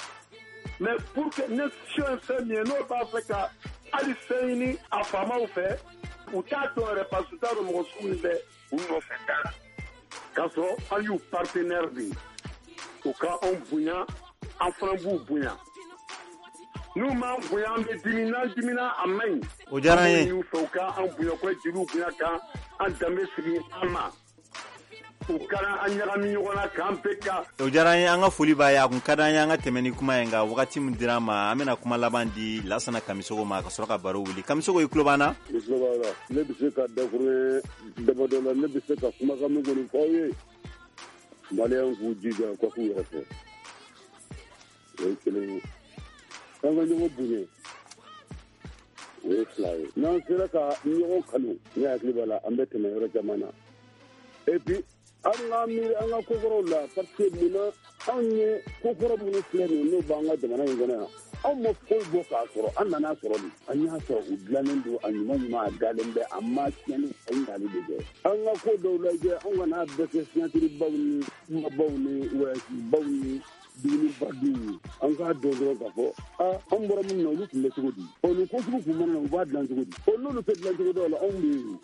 Mais pour que institution ye fɛn min ye, n'o b'a fɛ ka hali fɛn ɲini a faamaw fɛ, u t'a dɔn yɛrɛ, parce que u t'a dɔn mɔgɔ sugu min bɛ u nɔfɛ da la. K'a sɔrɔ an y'u partenaire de ye, u ka anw bonya, an fana b'u bonya. N'u m'an bonya, an bɛ dimi, n'an dimina a man ɲi. O diyara an ye. An b'o ɲini u fɛ, u ka an bonya, u ka jeliw bonya, k'an an danbe segin an ma. U kana an ɲagami ɲɔgɔn na, k'an bɛɛ ka. O diyara an ye, an ka foli b'a ye. A kun ka d'an ye an ka tɛmɛ ni kuma ye, nka wagati min dira an ma, an bɛna kuma laban di Lasana Kamisogo ma ka sɔrɔ ka baro wuli. Kamisogo, i tulo b'an na? I tulo b'a la. Ne bɛ se ka dakuruɲɛ damadɔ la, ne bɛ se ka kumakan min kɔni fɔ aw ye, Maliyɛnw k'u jija u ka k'u yɛrɛ fɛ, o ye kelen ye. An ka ɲɔgɔn bonya, o ye fila ye. N'an sera ka ɲɔgɔn kanu, ne hakili b'a la, an bɛ tɛmɛ yɔrɔ caman na. Et puis an ka miiri an ka kokɔrɔw la, parce que munna anw ye kokɔrɔ minnu filɛ nin ye, n'o b'an ka jamana in kɔnɔ yan, anw ma foyi bɔ k'a sɔrɔ, an nana sɔrɔ de, an y'a sɔrɔ u dilannen don, a ɲuman ɲuman, a dalen bɛ, a ma tiɲɛni, a ye ɲali de kɛ. An ka ko dɔw lajɛ, anw kana bɛɛ kɛ siɲatiribaw ni kumabaw ni wɔyasibaw ni dumunibadenw ye. An k'a dɔn dɔrɔn k'a fɔ aa, anw bɔra minnu na, olu tun bɛ cogo di? Ɔ, nin ko sugu kun mana na, u b'a dilan cogo di? Ɔ, n'olu tɛ dilan cogo dɔw la, anw bɛ yen.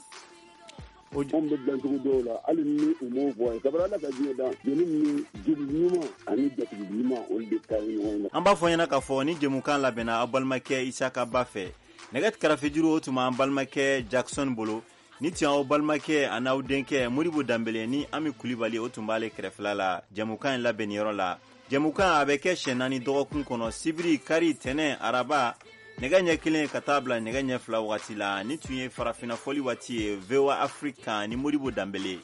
Anw bɛ dilan cogo dɔw la, hali ni u m'o bɔ ye, kabini Ala ka diɲɛ dan, jeli ni jeli ɲuman ani jatigi ɲuman, olu de ka ɲi ɲɔgɔn ma. An b'a fɔ ɲɛna k'a fɔ ni jɛmukan labɛnna aw balimakɛ Isaka Ba fɛ. Nɛgɛ karafejuru, o tun b'an balimakɛ Jackson bolo. Ni tun y'aw balimakɛ a n'aw denkɛ Modibo Danbele ni Ami Kulibali, o tun b'ale kɛrɛfɛla la jɛmukan in labɛnniyɔrɔ la. Jɛmukan a bɛ kɛ siɲɛ naani dɔgɔkun kɔnɔ, sibiri, kari, tɛnɛ, araba, nɛgɛ ɲɛ kelen ka taa bila nɛgɛ ɲɛ fila wagati la. Ni tun ye farafinna fɔli waati ye, V O A Afrique kan ni Modibo Danbele.